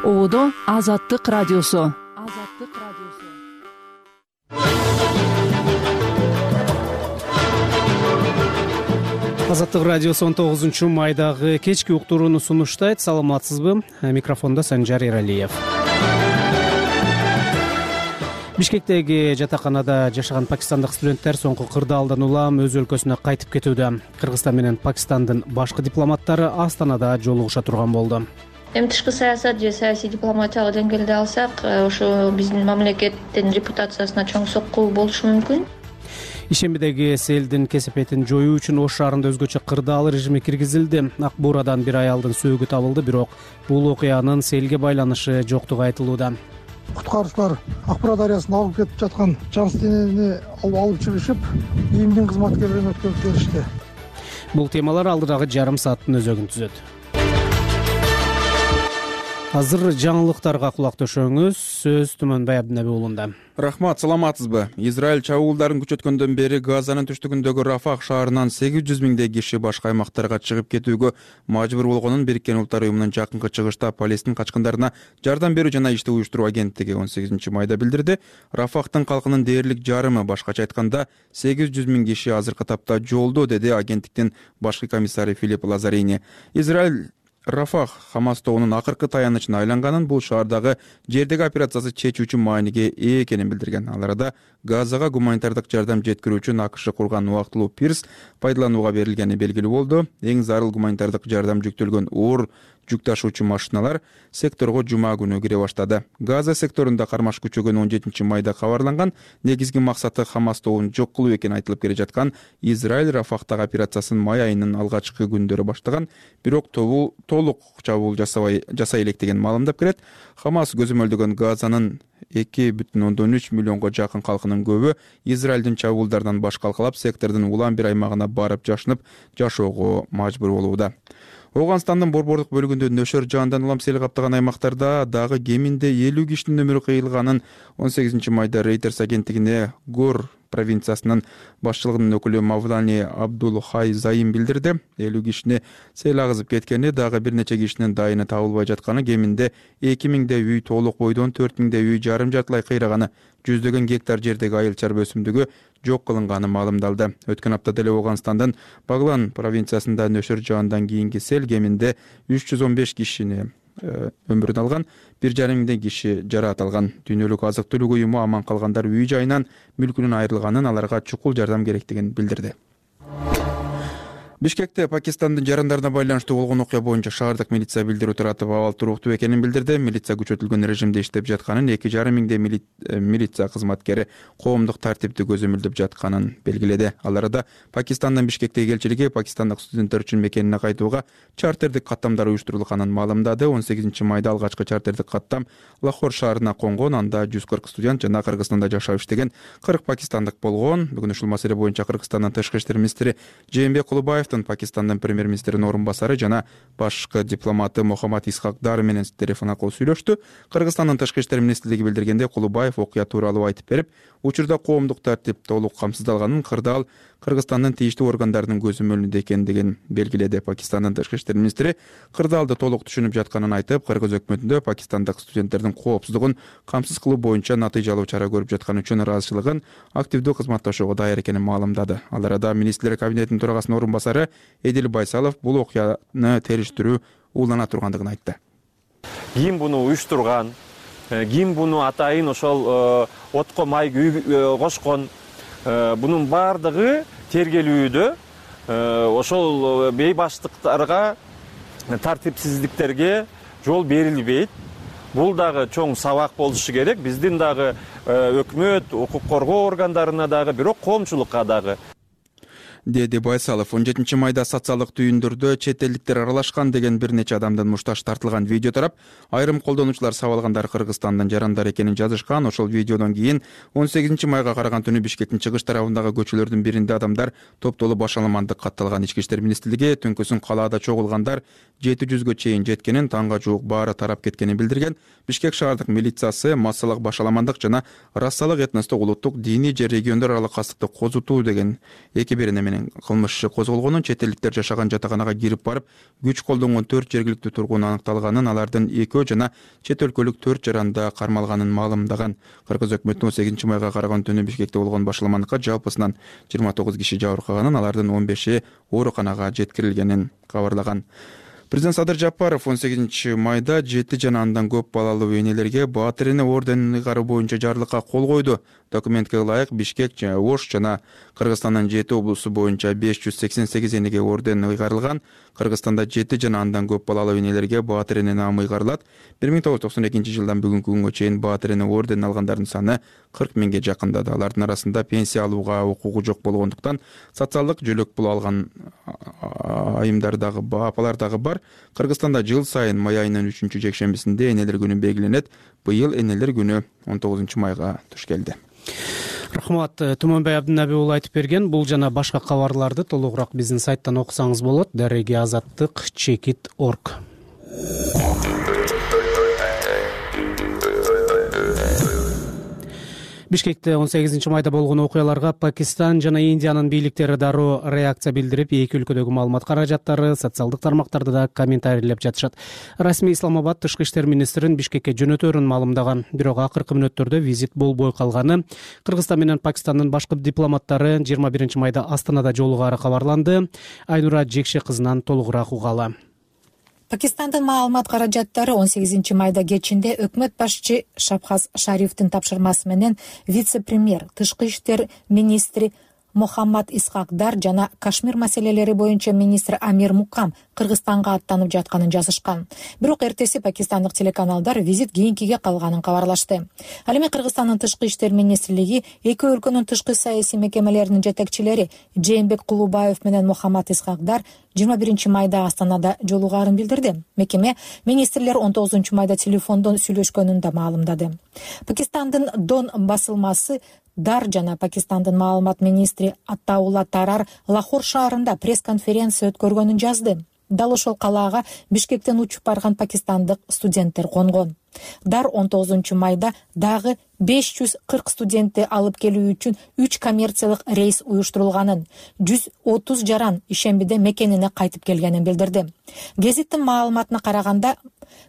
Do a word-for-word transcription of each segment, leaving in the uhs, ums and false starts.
Оодо Азаттык радиосу. Азаттык радиосу. Азаттык радиосу он тогузунчу майдагы кечки уктурууну сунуштайт. Саламатсызбы? Микрофондо Санжар Эралиев. Бишкектеги жатаканада жашаган пакистандык студенттер соңку кырдаалдан улам өз өлкөсүнө кайтып кетүүдө. Кыргызстан менен Пакистандын башкы дипломаттары Астанада жолугуша турган болду. Эми тышкы саясат же саясий дипломатиялык деңгээлде алсак, ошо биздин мамлекеттин репутациясына чоң сокку болушу мүмкүн. Ишембидеги селдин кесепетин жоюу үчүн Ош шаарында өзгөчө кырдаал режими киргизилди. Ак Буурадан бир аялдын сөөгү табылды, бирок бул окуянын селге байланышы жоктугу айтылууда. Куткаруучулар Ак Буура дарыясына агып кетип жаткан жан денени алып чыгышып, ийимдин кызматкерлерин өткөрүп беришти. Бул темалар алдыдагы жарым сааттын өзөгүн түзөт. Азыр жаңылыктарга кулак төшөңүз. Сөз Түмөнбай Абдинеби уулунда. Рахмат, саламатсызбы? Израиль чабуулдарын күчөткөндөн бери Газанын түштүгүндөгү Рафах шаарынан сегиз жүз миңдей киши башка аймактарга чыгып кетүүгө мажбур болгонун Бириккен Улуттар уюмунун жакынкы чыгышта Палестин качкындарына жардам берүү жана ишти уюштуруу агенттиги он сегизинчи майда билдирди. Рафахтын калкынын дээрлик жарымы, башкача айтканда сегиз жүз миң киши азыркы тапта жолдо, деди агенттиктин башкы комиссары Филипп Лазарини. Израиль Рафах Хамас тобунун акыркы таянычына айланганын, бул шаардагы жердеги операциясы чечүүчү мааниге ээ экенин билдирген. Ал арада Газага гуманитардык жардам жеткирүү үчүн АКШ курган убактылуу пирс пайдаланууга берилгени белгилүү болду. Эң зарыл гуманитардык жардам жүктөлгөн оор жүк ташуучу машиналар секторго жума күнү кире баштады. Газа секторунда кармаш күчөгөн он жетинчи майда кабарланган. Негизги максаты Хамас тобун жок кылуу экени айтылып келе жаткан Израиль Рафахтагы операциясын май айынын алгачкы күндөрү баштаган, бирок тобу толук чабуул жасабай жасай элек деген маалымдап келет. Хамас көзөмөлдөгөн Газанын эки бүтүн ондон үч миллионго жакын калкынын көбү Израилдин чабуулдарынан баш калкалап, сектордун улам бир аймагына барып жашынып жашоого мажбур болууда. Оганстандын борбордук бөлүгүндө нөшөр жаандан улам сел каптаган аймактарда дагы кеминде элүү кишинин өмүрү кыйылганын он сегизинчи майда Reuters агенттигине Гор провинциясынын башчылыгынын өкүлү Мавлани Абдул Хай Заим билдирди. элүү кишини сел агызып кеткени, дагы бир нече кишинин дайыны табылбай жатканы, кеминде эки миңдей үй толук бойдон, төрт миңдей үй жарым жартылай кыйраганы, жүздөгөн гектар жердеги айыл чарба өсүмдүгү жок кылынганы маалымдалды. Өткөн апта деле Оганстандын Баглан провинциясында нөшөр жаандан кийинки сел кеминде үч жүз он беш кишини өмүрүн алган, бир жарым миңдей киши жараат алган. Дүйнөлүк азык түлүк уюму аман калгандар үй жайынан, мүлкүнөн айрылганын, аларга чукул жардам керектигин билдирди. Бишкекте Пакистандын жарандарына байланыштуу болгон окуя боюнча шаардык милиция билдирүү таратып, абал туруктуу экенин билдирди. Милиция күчөтүлгөн режимде иштеп жатканын, эки жарым миңдей милиция кызматкери коомдук тартипти көзөмөлдөп жатканын белгиледи. Ал арада Пакистандын Бишкектеги элчилиги пакистандык студенттер үчүн мекенине кайтууга чартердик каттамдар уюштурулганын маалымдады. он сегизинчи майда алгачкы чартердик каттам Лахор шаарына конгон. Анда жүз кырк студент жана Кыргызстанда жашап иштеген кырк пакистандык болгон. Бүгүн ушул маселе боюнча Кыргызстандын тышкы иштер министри Жээнбек Кулубаев, Пакистандын премьер-министринин орун басары жана башкы дипломаты Мухаммад Исхак Дар менен телефон аркылуу сүйлөштү. Кыргызстандын тышкы иштер министрлиги билдиргенде, Кулубаев окуя тууралуу айтып берип, учурда коомдук тартип толук камсыздалганын, кырдаал Кыргызстандын тийиштүү органдарынын көзөмөлүндө экендигин белгиледи. Пакистандын тышкы иштер министри кырдаалды толук түшүнүп жатканын айтып, Кыргыз өкмөтүндө пакистандык студенттердин коопсуздугун камсыз кылуу боюнча натыйжалуу чара көрүп жатканы үчүн ыраазычылыгын активдүү кызматташууга даяр экенин маалымдады. Ал арада министрлер кабинетинин төрагасынын орун басары Эдил Байсалов бул окуяны териштирүү уулана тургандыгын айтты. Ким буну уюштурган, ким буну атайын ошол отко май кошкон, бунун бардыгы тергелүүдө ошол бейбаштыктарга, тартипсиздиктерге жол берилбейт. Бул дагы чоң сабак болушу керек. Биздин дагы өкмөт, укук коргоо органдарына дагы, бирок коомчулукка дагы. деди Байсалов. он жетинчи майда социалдык түйүндөрдө чет элдиктер аралашкан деген бир нече адамдын мушташ тартылган видео тарап, айрым колдонуучулар сабалгандар Кыргызстандын жарандары экенин жазышкан. Ошол видеодон кийин он сегизинчи майга караган түнү Бишкектин чыгыш тарабындагы көчөлөрдүн биринде адамдар топтолуп башаламандык катталган. Ички иштер министрлиги түнкүсүн калаада чогулгандар жети жүзгө чейин жеткенин, таңга жуук баары тарап кеткенин билдирген. Бишкек шаардык милициясы массалык башаламандык жана рассалык этностук, улуттук, диний же региондор аралык кастыкты козутуу деген эки берене менен кылмыш иши козголгонун, чет элдиктер жашаган жатаканага кирип барып күч колдонгон төрт жергиликтүү тургун аныкталганын, алардын экөө жана чет өлкөлүк төрт жаранда кармалганын маалымдаган. Кыргыз өкмөтүнүн он сегизинчи майга караган түнү Бишкекте болгон башаламаныкка жалпысынан жыйырма тогуз киши жабыркаганын, алардын он беши ооруканага жеткирилгенин кабарлаган. Президент Садыр Жапаров он сегизинчи майда жети жана андан көп балалуу энелерге Баатыр эне орденин ыйгаруу боюнча жарлыкка кол койду. Документке ылайык Бишкек, Ош жана Кыргызстандын жети облусу боюнча беш жүз сексен сегиз энеге орден ыйгарылган. Кыргызстанда жети жана андан көп балалуу энелерге Баатыр эне наамы ыйгарылат. бир миң тогуз жүз токсон экинчи жылдан бүгүнкү күнгө чейин Баатыр эне орденин алгандардын саны кырк миңге жакындады. Алардын арасында пенсия алууга укугу жок болгондуктан социалдык жөлөк пул алган айымдар дагы, апалар дагы бар. Кыргызстанда жыл сайын май айынын үчүнчү жекшембисинде энелер күнү белгиленет. Быйыл энелер күнү он тогузунчу майга туш келди. Рахмат. Туманбай Абдынаби уулу айтып берген. Бул жана башка кабарларды толугураак биздин сайттан окусаңыз болот. Дареги азаттык чекит точка орг. Бишкекте он сегизинчи майда болгон окуяларга Пакистан жана Индиянын бийликтери дароо реакция билдирип, эки өлкөдөгү маалымат каражаттары социалдык тармактарда да комментарийлеп жатышат. Расмий Исламабад тышкы иштер министрин Бишкекке жөнөтөрүн маалымдаган. Бирок акыркы мүнөттөрдө визит болбой калганы, Кыргызстан менен Пакистандын башкы дипломаттары жыйырма биринчи майда Астанада жолугаары кабарланды. Айнура Жекше кызынан толугураак угалы. Пакистандын маалымат каражаттары он сегизинчи майда кечинде өкмөт башчы Шабхаз Шарифтин тапшырмасы менен вице-премьер, тышкы иштер министри Мухаммад Исхакдар жана Кашмир маселелери боюнча министр Амир Мукам Кыргызстанга аттанып жатканын жазышкан. Бирок эртеси пакистандык телеканалдар визит кийинкиге калганын кабарлашты. Ал эми Кыргызстандын тышкы иштер министрлиги эки өлкөнүн тышкы саясий мекемелеринин жетекчилери Жээнбек Кулубаев менен Мухаммад Исхакдар жыйырма биринчи майда Астанада жолугаарын билдирди. Мекеме министрлер он тогузунчу майда телефондон сүйлөшкөнүн да маалымдады. Пакистандын Дон басылмасы Дар жана Пакистандын маалымат министри Аттаула Тарар Лахор шаарында пресс-конференция өткөргөнүн жазды. Дал ошол калаага Бишкектен учуп барган пакистандык студенттер конгон. Дар он тогузунчу майда дагы беш жүз кырк студентти алып келүү үчүн үч коммерциялык рейс уюштурулганын, жүз отуз жаран ишембиде мекенине кайтып келгенин билдирди. Гезиттин маалыматына караганда,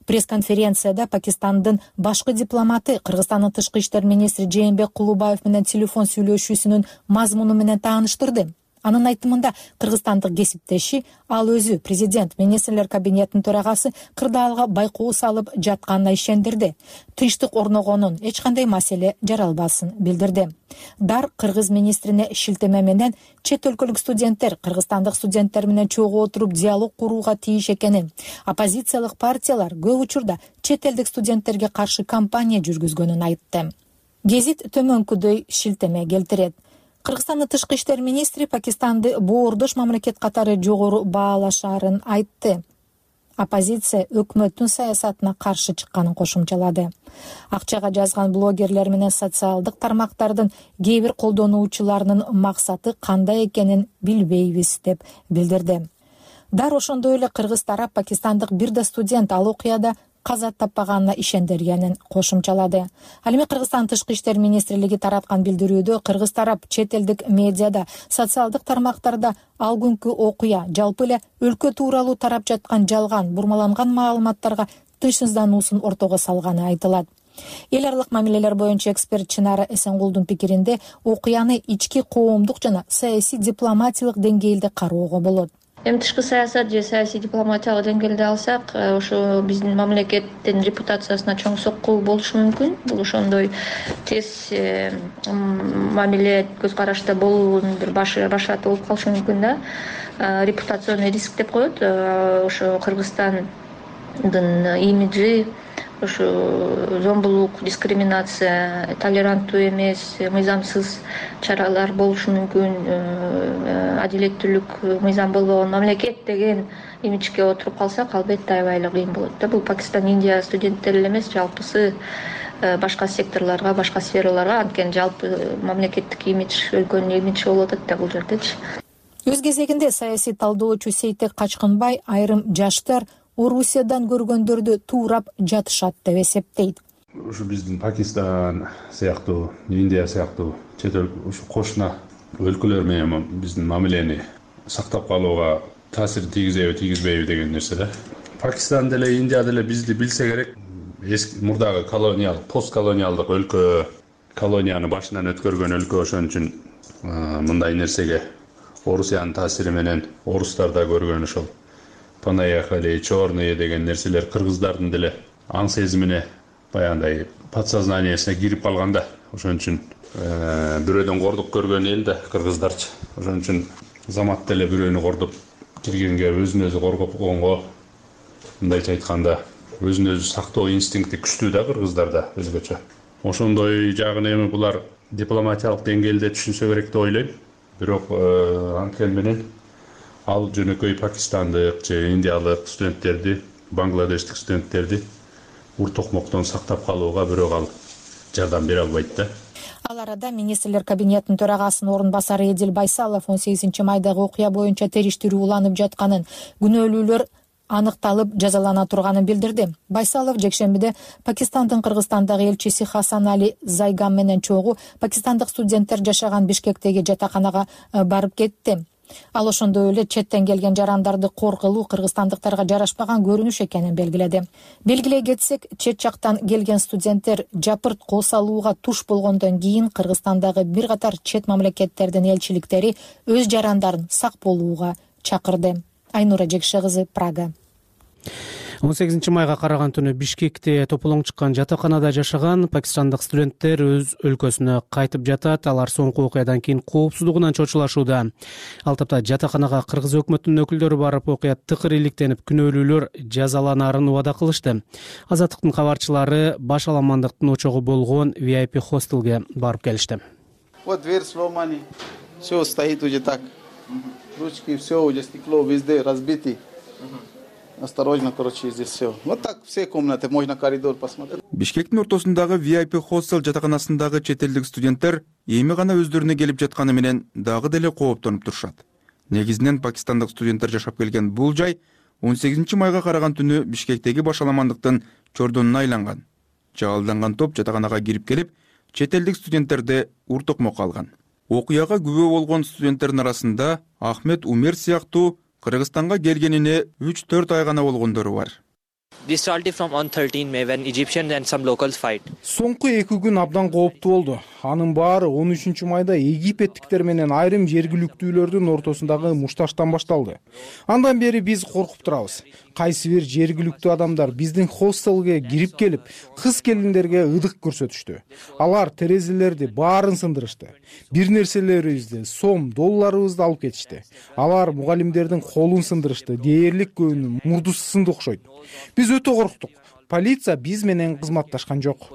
пресс-конференцияда Пакистандын башкы дипломаты Кыргызстандын тышкы иштер министри Жээнбек Кулубаев менен телефон сүйлөшүүсүнүн мазмуну менен тааныштырды. Анын айтымында кыргызстандык кесиптеши ал өзү президент министрлер кабинетинин төрагасы кырдаалга байкоо салып жатканына ишендирди. Тынчтык орногонун, эч кандай маселе жаралбасын билдирди. Дар кыргыз министрине шилтеме менен чет өлкөлүк студенттер кыргызстандык студенттер менен чогуу отуруп диалог курууга тийиш экенин, оппозициялык партиялар көп учурда чет элдик студенттерге каршы кампания жүргүзгөнүн айтты. Гезит төмөнкүдөй шилтеме келтирет. Кыргызстандын тышкы иштер министри Пакистанды боордош мамлекет катары жогору баалашаарын айтты. Оппозиция өкмөттүн саясатына каршы чыкканын кошумчалады. Акчага жазган блогерлер менен социалдык тармактардын кээ бир колдонуучуларынын максаты кандай экенин билбейбиз деп билдирди. Дар ошондой эле кыргыз тарап пакистандык бир да студент ал окуяда каза таппаганына ишендиргенин кошумчалады. Ал эми Кыргызстан тышкы иштер министрлиги тараткан билдирүүдө кыргыз тарап чет элдик медиада, социалдык тармактарда ал күнкү окуя жалпы эле өлкө тууралуу тарап жаткан жалган, бурмаланган маалыматтарга тынчсыздануусун ортого салганы айтылат. Эл аралык мамилелер боюнча эксперт Чынара Эсенгулдун пикиринде окуяны ички коомдук жана саясий дипломатиялык деңгээлде кароого болот. Эми тышкы саясат же саясий дипломатиялык деңгээлде алсак, ошо биздин мамлекеттин репутациясына чоң сокку болушу мүмкүн. Бул ошондой тез мамиле көз карашта болуунун бир башаты болуп калышы мүмкүн да. Репутационный риск деп коет. Ошо Кыргызстандын имиджи, ошо зомбулук, дискриминация, толеранттуу эмес, мыйзамсыз чаралар болушу мүмкүн, адилеттүүлүк, мыйзам болбогон мамлекет деген имиджге отуруп калсак, албетте аябай эле кыйын болот да. Бул Пакистан, Индия студенттери эле эмес, жалпысы башка секторлорго, башка сфераларга, анткени жалпы мамлекеттик имидж, өлкөнүн имиджи болуп атат да бул жердечи. Өз кезегинде саясий талдоочу Сейтек Качкынбай айрым жаштар Орусиядан көргөндөрдү туурап жатышат деп эсептейт. Ушу биздин Пакистан сыяктуу, Индия сыяктуу чет эл ушу кошуна өлкөлөр менен биздин мамилени сактап калууга таасир тийгизеби тийгизбейби деген нерсе да. Пакистан деле Индия деле бизди билсе керек. Эски мурдагы колониялык, постколониалдык өлкө, колонияны башынан өткөргөн өлкө, ошон үчүн мындай нерсеге Орусиянын таасири менен орустар да көргөн ошол понаехали, черные деген нерселер кыргыздардын деле аң сезимине баягындай подсознаниясына кирип калган да. Ошон үчүн бирөөдөн кордук көргөн эл да кыргыздарчы. Ошон үчүн замат деле бирөөнү кордоп киргенге, өзүн өзү коргопконго, мындайча айтканда, өзүн өзү сактоо инстинкти күчтүү да кыргыздарда өзгөчө. Ошондой жагын эми булар дипломатиялык деңгээлде түшүнсө керек деп ойлойм. Бирок анткени менен ал жөнөкөй пакистандык же индиялык студенттерди, бангладештик студенттерди ур токмоктон сактап калууга бирок ал жардам бере албайт да. Ал арада министрлер кабинетинин төрагасынын орун басары Эдил Байсалов он сегизинчи майдагы окуя боюнча териштирүү уланып жатканын, күнөөлүүлөр аныкталып жазалана турганын билдирди. Байсалов жекшембиде Пакистандын Кыргызстандагы элчиси Хасан Али Зайгам менен чогуу пакистандык студенттер жашаган Бишкектеги жатаканага барып кетти. Ал ошондой эле четтен келген жарандарды коркулуу кыргызстандыктарга жарашпаган көрүнүш экенин белгиледи. Белгилей кетсек, чет жактан келген студенттер жапырт кол салууга туш болгондон кийин Кыргызстандагы бир катар чет мамлекеттердин элчиликтери өз жарандарын сак болууга чакырды. Айнура Жекше кызы, Прага. он сегизинчи майга караган түнү Бишкекте тополоң чыккан жатаканада жашаган пакистандык студенттер өз өлкөсүнө кайтып жатат. Алар соңку окуядан кийин коопсуздугунан чочулашууда. Ал тапта жатаканага кыргыз өкмөтүнүн өкүлдөрү барып, окуя тыкыр иликтенип, күнөөлүүлөр жазаланаарын убада кылышты. Азаттыктын кабарчылары баш аламандыктын очогу болгон ви ай пи хостелге барып келишти. Вот дверь сломана, все стоит уже так. Ручки, все уже стекло везде разбиты. Осторожно, короче, здесь все. Вот так все комнаты, можно коридор посмотреть. Бишкектин ортосундагы ви ай пи хостел жатаканасындагы чет элдик студенттер эми гана өздөрүнө келип жатканы менен дагы деле кооптонуп турушат. Негизинен пакистандык студенттер жашап келген бул жай он сегизинчи майга караган түнү Бишкектеги баш аламандыктын чордонуна айланган. Жаалданган топ жатаканага кирип келип, чет элдик студенттерди ур токмокко алган. Окуяга күбө болгон студенттердин арасында Ахмед Умер сыяктуу Кыргызстанга келгенине үч төрт ай гана болгондору бар. This started from on thirteenth May when Egyptians and some locals fight. Соңку эки күн абдан кооптуу болду. Анын баары он үчүнчү майда египеттиктер менен айрым жергиликтүүлөрдүн ортосундагы мушташтан башталды. Андан бери биз коркуп турабыз. Кайсы бир жергиликтүү адамдар биздин хостелге кирип келип, кыз келиндерге ыдык көрсөтүштү. Алар терезелерди баарын сындырышты. Бир нерселерибизди, сом, долларыбызды алып кетишти. Алар мугалимдердин колун сындырышты. Дээрлик көбүнүн мурдусу сынды окшойт. Биз өтө корктук. Полиция биз менен кызматташкан жок.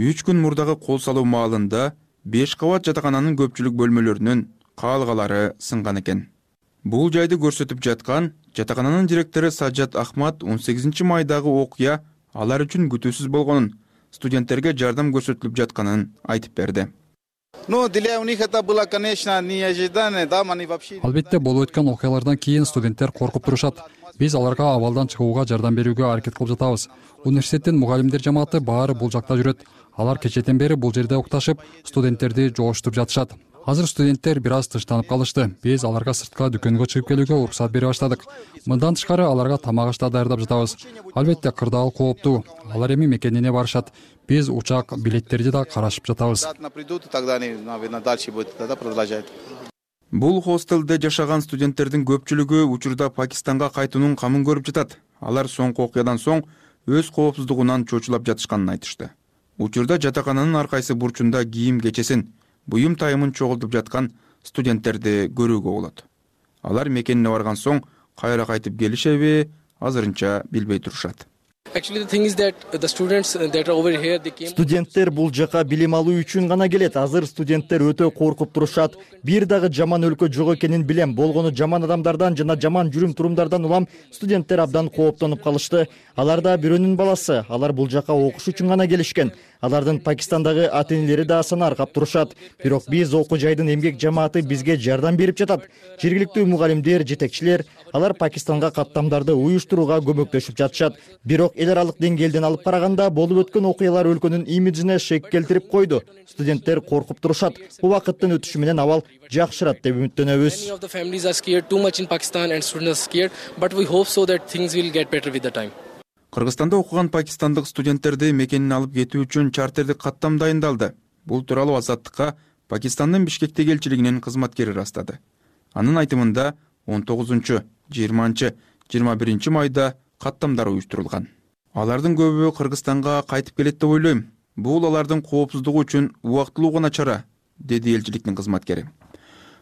үч күн мурдагы кол салуу маалында беш кабат жатакананын көпчүлүк бөлмөлөрүнүн каалгалары сынган экен. Бул жайды көрсөтүп жаткан жатакананын директору Саджат Ахмад он сегизинчи майдагы окуя алар үчүн күтүүсүз болгонун, студенттерге жардам көрсөтүлүп жатканын айтып берди. Албетте болуп өткөн окуялардан кийин студенттер коркуп турушат. Биз аларга абалдан чыгууга жардам берүүгө аракет кылып жатабыз. Университеттин мугалимдер жамааты баары бул жакта жүрөт. Алар кечетен бери бул жерде укташып, студенттерди жооштуруп жатышат. Азыр студенттер бир аз тынчтанып калышты. Биз аларга сыртка дүкөнгө чыгып келүүгө уруксат бере баштадык. Мындан тышкары аларга тамак аш да даярдап жатабыз. Албетте кырдаал кооптуу. Алар эми мекенине барышат. Биз учак билеттерди да карашып жатабыз. Бул хостелде жашаган студенттердин көпчүлүгү учурда Пакистанга кайтуунун камын көрүп жатат. Алар соңку окуядан соң өз коопсуздугунан чочулап жатышканын айтышты. Учурда жатакананын ар кайсы бурчунда кийим кечесин, буюм тайымын чогултуп жаткан студенттерди көрүүгө болот. Алар мекенине барган соң кайра кайтып келишеби, азырынча билбей турушат. Студенттер бул жака билим алуу үчүн гана келет. Азыр студенттер өтө коркуп турушат. Бир дагы жаман өлкө жок экенин билем. Болгону жаман адамдардан жана жаман жүрүм турумдардан улам студенттер абдан кооптонуп калышты. Алар да бирөөнүн баласы. Алар бул жака окуш үчүн гана келишкен. Алардын Пакистандагы ата-энелери да санаркап турушат. Бирок биз окуу жайдын эмгек жамааты бизге жардам берип жатат. Жергиликтүү мугалимдер, жетекчилер, алар Пакистанга каттамдарды уюштурууга көмөктөшүп жатышат. Бирок эл аралык деңгээлден алып караганда болуп өткөн окуялар өлкөнүн имиджине шек келтирип койду. Студенттер коркуп турушат. Убакыттын өтүшү менен абал жакшырат деп үмүттөнөбүз. Кыргызстанда окуган пакистандык студенттерди мекенин алып кетүү үчүн чартердик каттам дайындалды. Бул тууралуу Азаттыкка Пакистандын Бишкектеги элчилигинин кызматкери ырастады. Анын айтымында он тогузунчу, жыйырманчы, жыйырма биринчи майда каттамдар уюштурулган. Алардын көбү Кыргызстанга кайтып келет деп ойлойм. Бул алардын коопсуздугу үчүн убактылуу гана чара, деди элчиликтин кызматкери.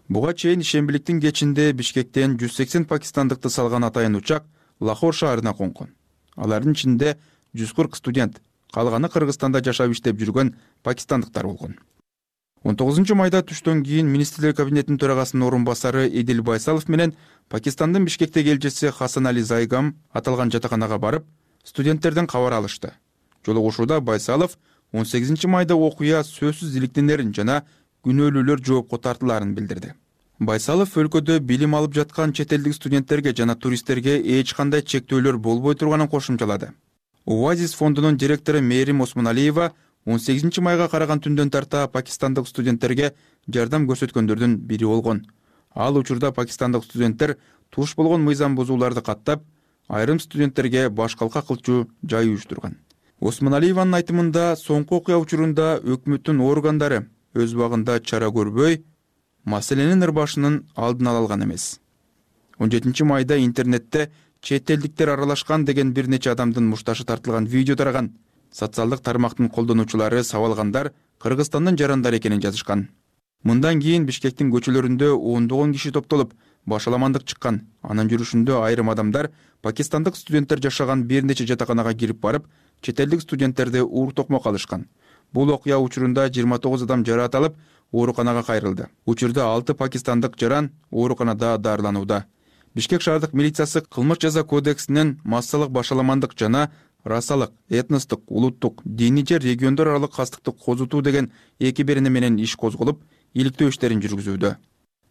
Буга чейин ишембиликтин кечинде Бишкектен жүз сексен пакистандыкты салган атайын учак Лахор шаарына конгон. Алардын ичинде жүз кырк студент, калганы Кыргызстанда жашап иштеп жүргөн пакистандыктар болгон. он тогузунчу майда түштөн кийин министрлер кабинетинин төрагасынын орун басары Эдил Байсалов менен Пакистандын Бишкектеги элчиси Хасан Али Зайгам аталган жатаканага барып, студенттерден кабар алышты. Жолугушууда Байсалов он сегизинчи майда окуя сөзсүз иликтенерин жана күнөөлүүлөр жоопко тартылаарын билдирди. Байсалов өлкөдө билим алып жаткан чет элдик студенттерге жана туристтерге эч кандай чектөөлөр болбой турганын кошумчалады. Оазис фондунун директору Мээрим Осмоналиева он сегизинчи майга караган түндөн тарта пакистандык студенттерге жардам көрсөткөндөрдүн бири болгон. Ал учурда пакистандык студенттер туш болгон мыйзам бузууларды каттап, айрым студенттерге баш калка кылчу жай уюштурган. Осмоналиеванын айтымында соңку окуя учурунда өкмөттүн органдары өз убагында чара көрбөй, маселенин ырбашынын алдын ала алган эмес. он жетинчи майда интернетте чет элдиктер аралашкан деген бир нече адамдын мушташы тартылган видео тараган. Социалдык тармактын колдонуучулары сабалгандар Кыргызстандын жарандары экенин жазышкан. Мындан кийин Бишкектин көчөлөрүндө ондогон киши топтолуп, башаламандык чыккан. Анын жүрүшүндө айрым адамдар пакистандык студенттер жашаган бир нече жатаканага кирип барып, чет элдик студенттерди уур токмок алышкан. Бул окуя учурунда жыйырма тогуз адам жараат алып, ооруканага кайрылды. Учурда алты пакистандык жаран ооруканада дарыланууда. Бишкек шаардык милициясы кылмыш жаза кодексинин массалык башаламандык жана расалык, этностук, улуттук, диний же региондор аралык кастыкты козутуу деген эки берене менен иш козголуп, иликтөө иштерин жүргүзүүдө.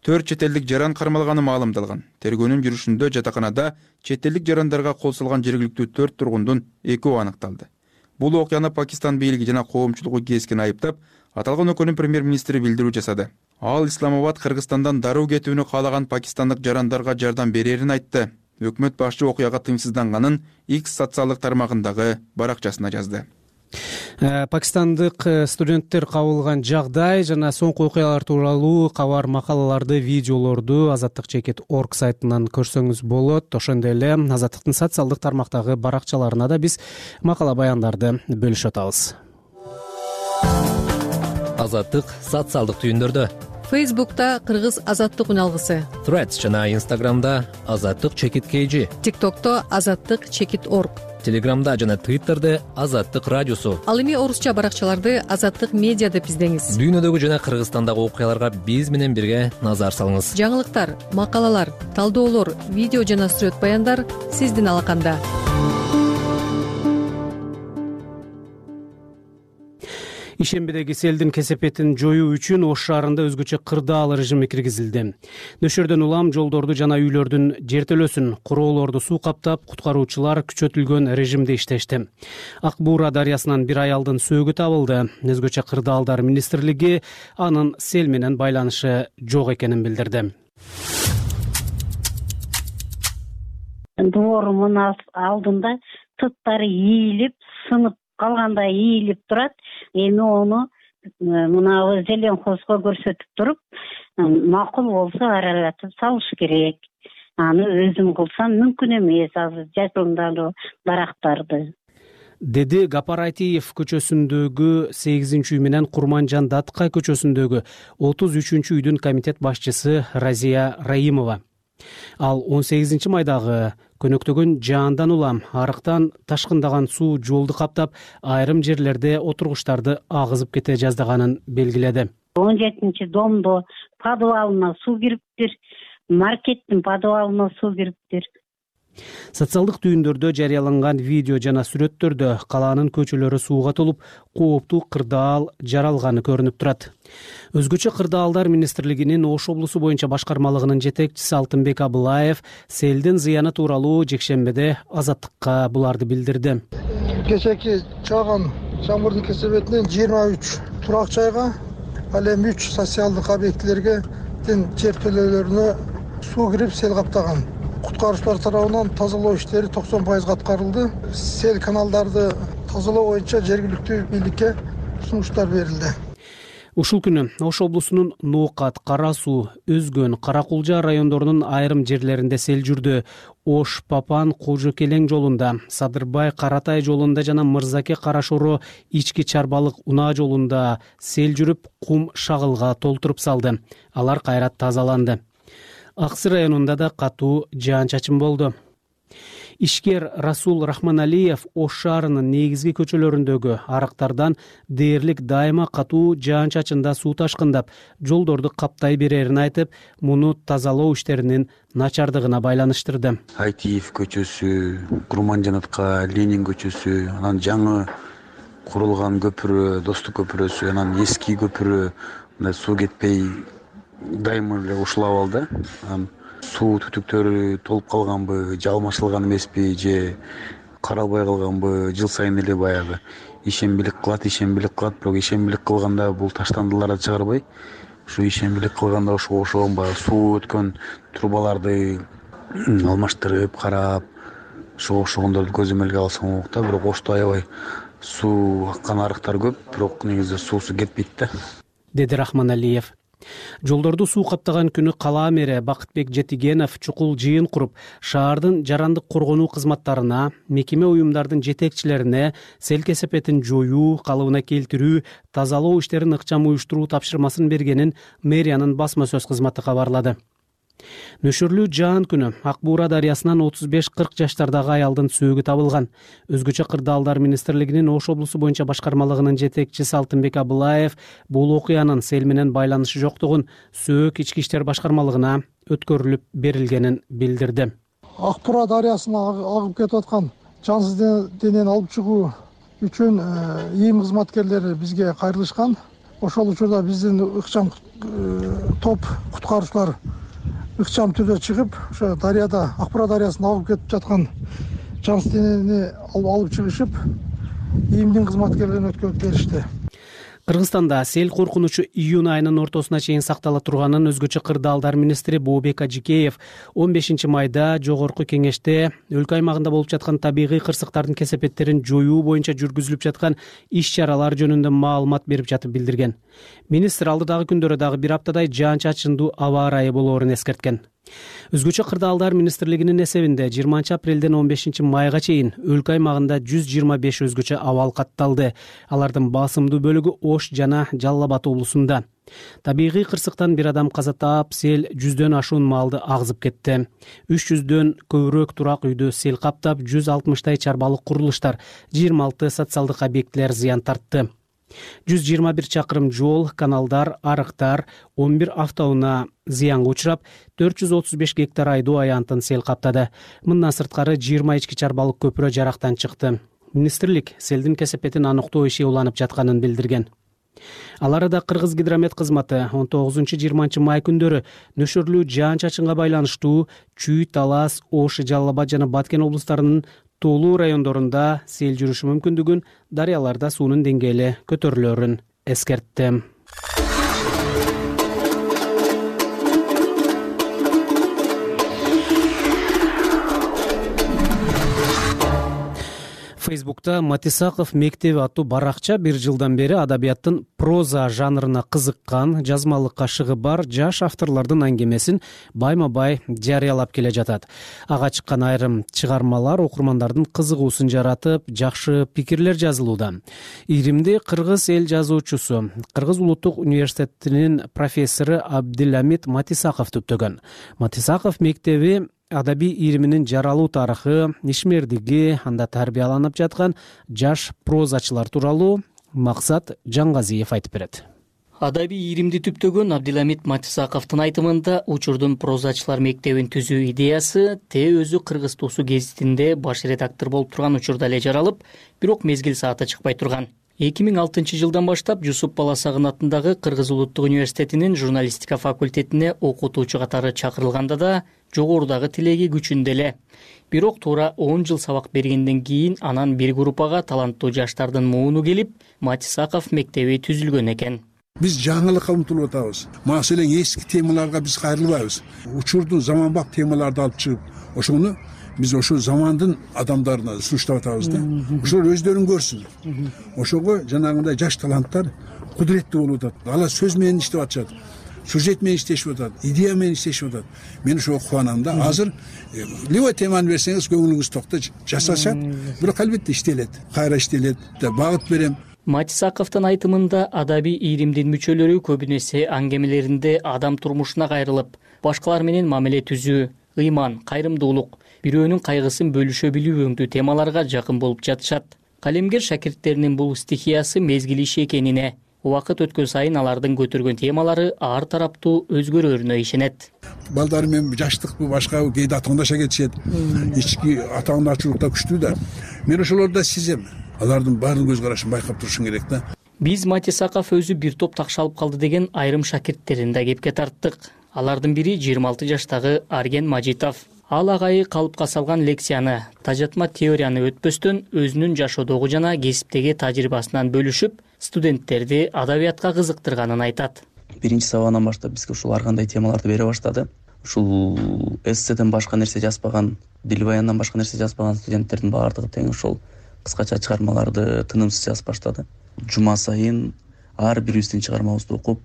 Төрт чет элдик жаран кармалганы маалымдалган. Тергөөнүн жүрүшүндө жатаканада чет элдик жарандарга кол салган жергиликтүү төрт тургундун экөө аныкталды. Бул окуяны Пакистан бийлиги жана коомчулугу кескен айыптап, аталган өлкөнүн премьер-министри билдирүү жасады. Ал Исламабад Кыргызстандан дароо кетүүнү каалаган пакистандык жарандарга жардам берерин айтты. Өкмөт башчы окуяга тыйымсызданганын X социалдык тармагындагы баракчасына жазды. Пакистандык студенттер кабылган жагдай жана соңку окуялар тууралуу кабар макалаларды, видеолорду азаттык чекит точка орг сайтынан көрсөңүз болот. Ошондой эле Азаттыктын социалдык тармактагы баракчаларына да биз макала баяндарды бөлүшүп атабыз. Азаттык социалдык түйүндөрдө. Фейсбукта Кыргыз азаттык үналгысы. Threads жана Инстаграмда Азаттык чекит кей. ТикТокто Азаттык чекит точка орг. Телеграмда жана Твиттерде Азаттык радиосу. Ал эми орусча баракчаларды Азаттык медиа деп издеңиз. Дүйнөдөгү жана Кыргызстандагы окуяларга биз менен бирге назар салыңыз. Жаңылыктар, макалалар, талдоолор, видео жана сүрөт баяндар сиздин алаканда. Ишембидеги селдин кесепетин жоюу үчүн Ош шаарында өзгөчө кырдаал режими киргизилди. Нөшөрдөн улам жолдорду жана үйлөрдүн жертөлөсүн, куроолорду суу каптап, куткаруучулар күчөтүлгөн режимде иштешти. Ак Буура дарыясынан бир аялдын сөөгү табылды. Өзгөчө кырдаалдар министрлиги анын сел менен байланышы жок экенин билдирди. Доорумун алдында тыттары ийилип, сынып калгандай ийилип турат. Эми ону мына зеленхозго көрсөтүп туруп, макул болсо аралатып салыш керек. Аны өзүм кылсам мүмкүн эмес азыр жайылымдагы дарактарды. Деди Гапар Айтиев көчөсүндөгү сегизинчи үй менен Курманжан Датка көчөсүндөгү отуз үчүнчү үйдүн комитет башчысы Разия Раимова. Ал он сегизинчи майдагы көнөктөгөн жаандан улам арыктан ташкындаган суу жолду каптап, айрым жерлерде отургучтарды агызып кете жаздаганын белгиледи. он жетинчи домдо подвалына суу кириптир, маркеттин подвалына суу кириптир. Социалдык түйүндөрдө жарыяланган видео жана сүрөттөрдө калаанын көчөлөрү сууга толуп, кооптуу кырдаал жаралганы көрүнүп турат. Өзгөчө кырдаалдар министрлигинин Ош облусу боюнча башкармалыгынын жетекчиси Алтынбек Абылаев селдин зыяны тууралуу жекшембиде Азаттыкка буларды билдирди. Кечээки жааган жамгырдын кесебетинен жыйырма үч турак жайга, ал эми үч социалдык объектилерге жертөлөлөрүнө суу кирип сел каптаган. Куткаруучулар тарабынан тазалоо иштери токсон пайызга аткарылды. Сел каналдарды тазалоо боюнча жергиликтүү бийликке сунуштар берилди. Ушул күнү Ош облусунун Ноокат, Кара Суу, Өзгөн, Каракулжа райондорунун айрым жерлеринде сел жүрдү. Ош, Папан, Кожо Келең жолунда, Садырбай, Каратай жолунда жана Мырзаке, Карашоро, Ички Чарбалык, Унаа жолунда сел жүрүп, кум шагылга толтуруп салды. Алар кайра тазаланды. Аксы районунда да катуу жаан-чачын болду. Ишкер Расул Рахманалиев Ош шаарынын негизги көчөлөрүндөгү арыктардан дээрлик дайыма катуу жаан-чачында суу ташкындап, жолдорду каптай берерин айтып, муну тазалоо иштеринин начардыгына байланыштырды. Айтиев көчөсү, Курманжанатка, Ленин көчөсү, анан жаңы курулган көпүрө, Достук көпүрөсү, анан эски көпүрө мындай суу кетпей дайыма эле ушулап алды. Суу түтүктөрү толуп калганбы, же алмашылган эмеспи, же каралбай калганбы, жыл сайын эле баягы ишембилик кылат, ишембилик кылат, бирок ишембилик кылганда бул таштандыларды чыгарбай, ушу ишембилик кылганда ошого окшогон баягы суу өткөн трубаларды алмаштырып, карап, ошого окшогондорду көзөмөлгө алсаң болот да. Бирок Ошто аябай суу аккан арыктар көп, бирок негизи суусу кетпейт да, деди Рахманалиев. Жолдорду суу каптаган күнү кала мэри Бакытбек Жетигенов чукул жыйын куруп, шаардын жарандык коргонуу кызматтарына, мекеме уюмдардын жетекчилерине сел кесепетин жоюу, калыбына келтирүү, тазалоо иштерин ыкчам уюштуруу тапшырмасын бергенин мэриянын басма сөз кызматы кабарлады. Нөшөрлүү жаан күнү Ак Буура дарыясынан отуз беш кырк жаштардагы аялдын сөөгү табылган. Өзгөчө кырдаалдар министрлигинин Ош облусу боюнча башкармалыгынын жетекчиси Алтынбек Абылаев бул окуянын сел менен байланышы жоктугун сөөк ички иштер башкармалыгына өткөрүлүп берилгенин билдирди. Ак Буура дарыясына агып кетип аткан жансыз денени алып чыгуу үчүн ийим кызматкерлери бизге кайрылышкан. Ошол учурда биздин ыкчам топ куткаруучулар ыкчам түрдө чыгып, ошо дарыяда Ак Буура дарыясына агып кетип жаткан жансыз денени алып чыгышып, ийимдин кызматкерлерине өткөрүп беришти. Кыргызстанда сел коркунучу июнь айынын ортосуна чейин сактала турганын өзгөчө кырдаалдар министри Бообек Ажикеев он бешинчи майда жогорку кеңеште өлкө аймагында болуп жаткан табигый кырсыктардын кесепеттерин жоюу боюнча жүргүзүлүп жаткан иш-чаралар жөнүндө маалымат берип жатып билдирген. Министр алдыдагы күндөрү дагы бир аптадай жаан-чачындуу аба ырайы болоорун эскерткен. Өзгөчө кырдаалдар министрлигинин эсебинде жыйырманчы апрелден он бешинчи майга чейин өлкө аймагында жүз жыйырма беш өзгөчө абал катталды. Алардын басымдуу бөлүгү Ош жана Жалал Абад облусунда. Табигый кырсыктан бир адам каза таап, сел жүздөн ашуун малды агзып кетти. үч жүздөн көбүрөөк турак үйдү сел каптап, жүз алтымыштай чарбалык курулуштар, жыйырма алты социалдык объектилер зыян тартты. жүз жыйырма бир чакырым жол, каналдар, арыктар, он бир автоунаа зыянга учурап, төрт жүз отуз беш гектар айдоо аянтын сел каптады. Мындан сырткары жыйырма ички чарбалык көпүрө жарактан чыкты. Министрлик селдин кесепетин аныктоо иши уланып жатканын билдирген. Ал арада Кыргыз гидромет кызматы он тогузунчу жыйырманчы май күндөрү нөшөрлүү жаан-чачынга байланыштуу Чүй, Талас, Ош, Жалал Абад жана Баткен облустарынын тоолуу райондорунда сел жүрүшү мүмкүндүгүн, дарыяларда суунун деңгээли көтөрүлөрүн эскертти. Фейсбукта Матисаков мектеби аттуу баракча бир жылдан бери адабияттын проза жанрына кызыккан, жазмалыкка шыгы бар жаш авторлордун аңгемесин байма-бай жарыялап келе жатат. Ага чыккан айрым чыгармалар окурмандардын кызыгуусун жаратып, жакшы пикирлер жазылууда. Иримди кыргыз эл жазуучусу, Кыргыз улуттук университетинин профессору Абдиламит Матисаков түптөгөн. Матисаков мектеби адабий ириминин жаралуу тарыхы, ишмердиги, анда тарбияланып жаткан жаш прозачылар тууралуу Максат Жангазиев айтып берет. Адабий ийримди түптөгөн Абдиламит Матисаковдун айтымында учурдун прозачылар мектебин түзүү идеясы Т өзү кыргыз туусу гезитинде баш редактор болуп турган учурда эле жаралып, бирок мезгил сааты чыкпай турган. эки миң алтынчы жылдан баштап Жусуп Баласагын атындагы Кыргыз Улуттук университетинин журналистика факультетине окутуучу катары чакырылганда да жогорудагы тилеги күчүндө эле. Бирок туура он жыл сабак бергенден кийин анан бир группага таланттуу жаштардын мууну келип, Матисаков мектеби түзүлгөн экен. Биз жаңылыкка умтулуп атабыз. Маселен эски темаларга биз кайрылбайбыз. Учурдун заманбап темаларды алып чыгып, ошону биз ошол замандын адамдарына сунуштап атабыз да. Ошолор өздөрүн көрсүн. Ошого жанагындай жаш таланттар кудуреттүү болуп атат. Алар сөз менен иштеп атышат. Сюжет менен иштешип атат, идея менен иштешип атат. Мен ошого кубанам да. Азыр любой теманы берсеңиз көңүлүңүз токто жасашат, бирок албетте иштелет. Кайра иштелет деп багыт берем. Матисаковдун айтымында адабий ийримдин мүчөлөрү көбүнесе аңгемелеринде адам турмушуна кайрылып, башкалар менен мамиле түзүү, ыйман, кайрымдуулук, бирөөнүн кайгысын бөлүшө билүү өңдүү темаларга жакын болуп жатышат. Калемгер шакирттеринин бул стихиясы мезгил иши экенине, убакыт өткөн сайын алардын көтөргөн темалары ар тараптуу өзгөрөрүнө ишенет. Балдары менен жаштыкпы, башкабы кээде атаңдаша кетишет. Ички атаңдачылыкта күчтүү да. Мен ошолорду сезем. Алардын баардык көз карашын байкап турушуң керек да. Биз Матисаков өзү бир топ такшалып калды деген айрым шакирттерин да кепке тарттык. Алардын бири жыйырма алты жаштагы Арген Мажитов. Ал агайы калыпка салган лекцияны, тажатма теорияны өтпөстөн өзүнүн жашоодогу жана кесиптеги тажрыйбасынан бөлүшүп, студенттерди адабиятка кызыктырганын айтат. Биринчи сабагынан баштап бизге ушул ар кандай темаларды бере баштады. Ушул эсседен башка нерсе жазбаган, дил баяндан башка нерсе жазбаган студенттердин баардыгы тең ошол кыскача чыгармаларды тынымсыз жазып баштады. Жума сайын ар бирибиздин чыгармабызды окуп,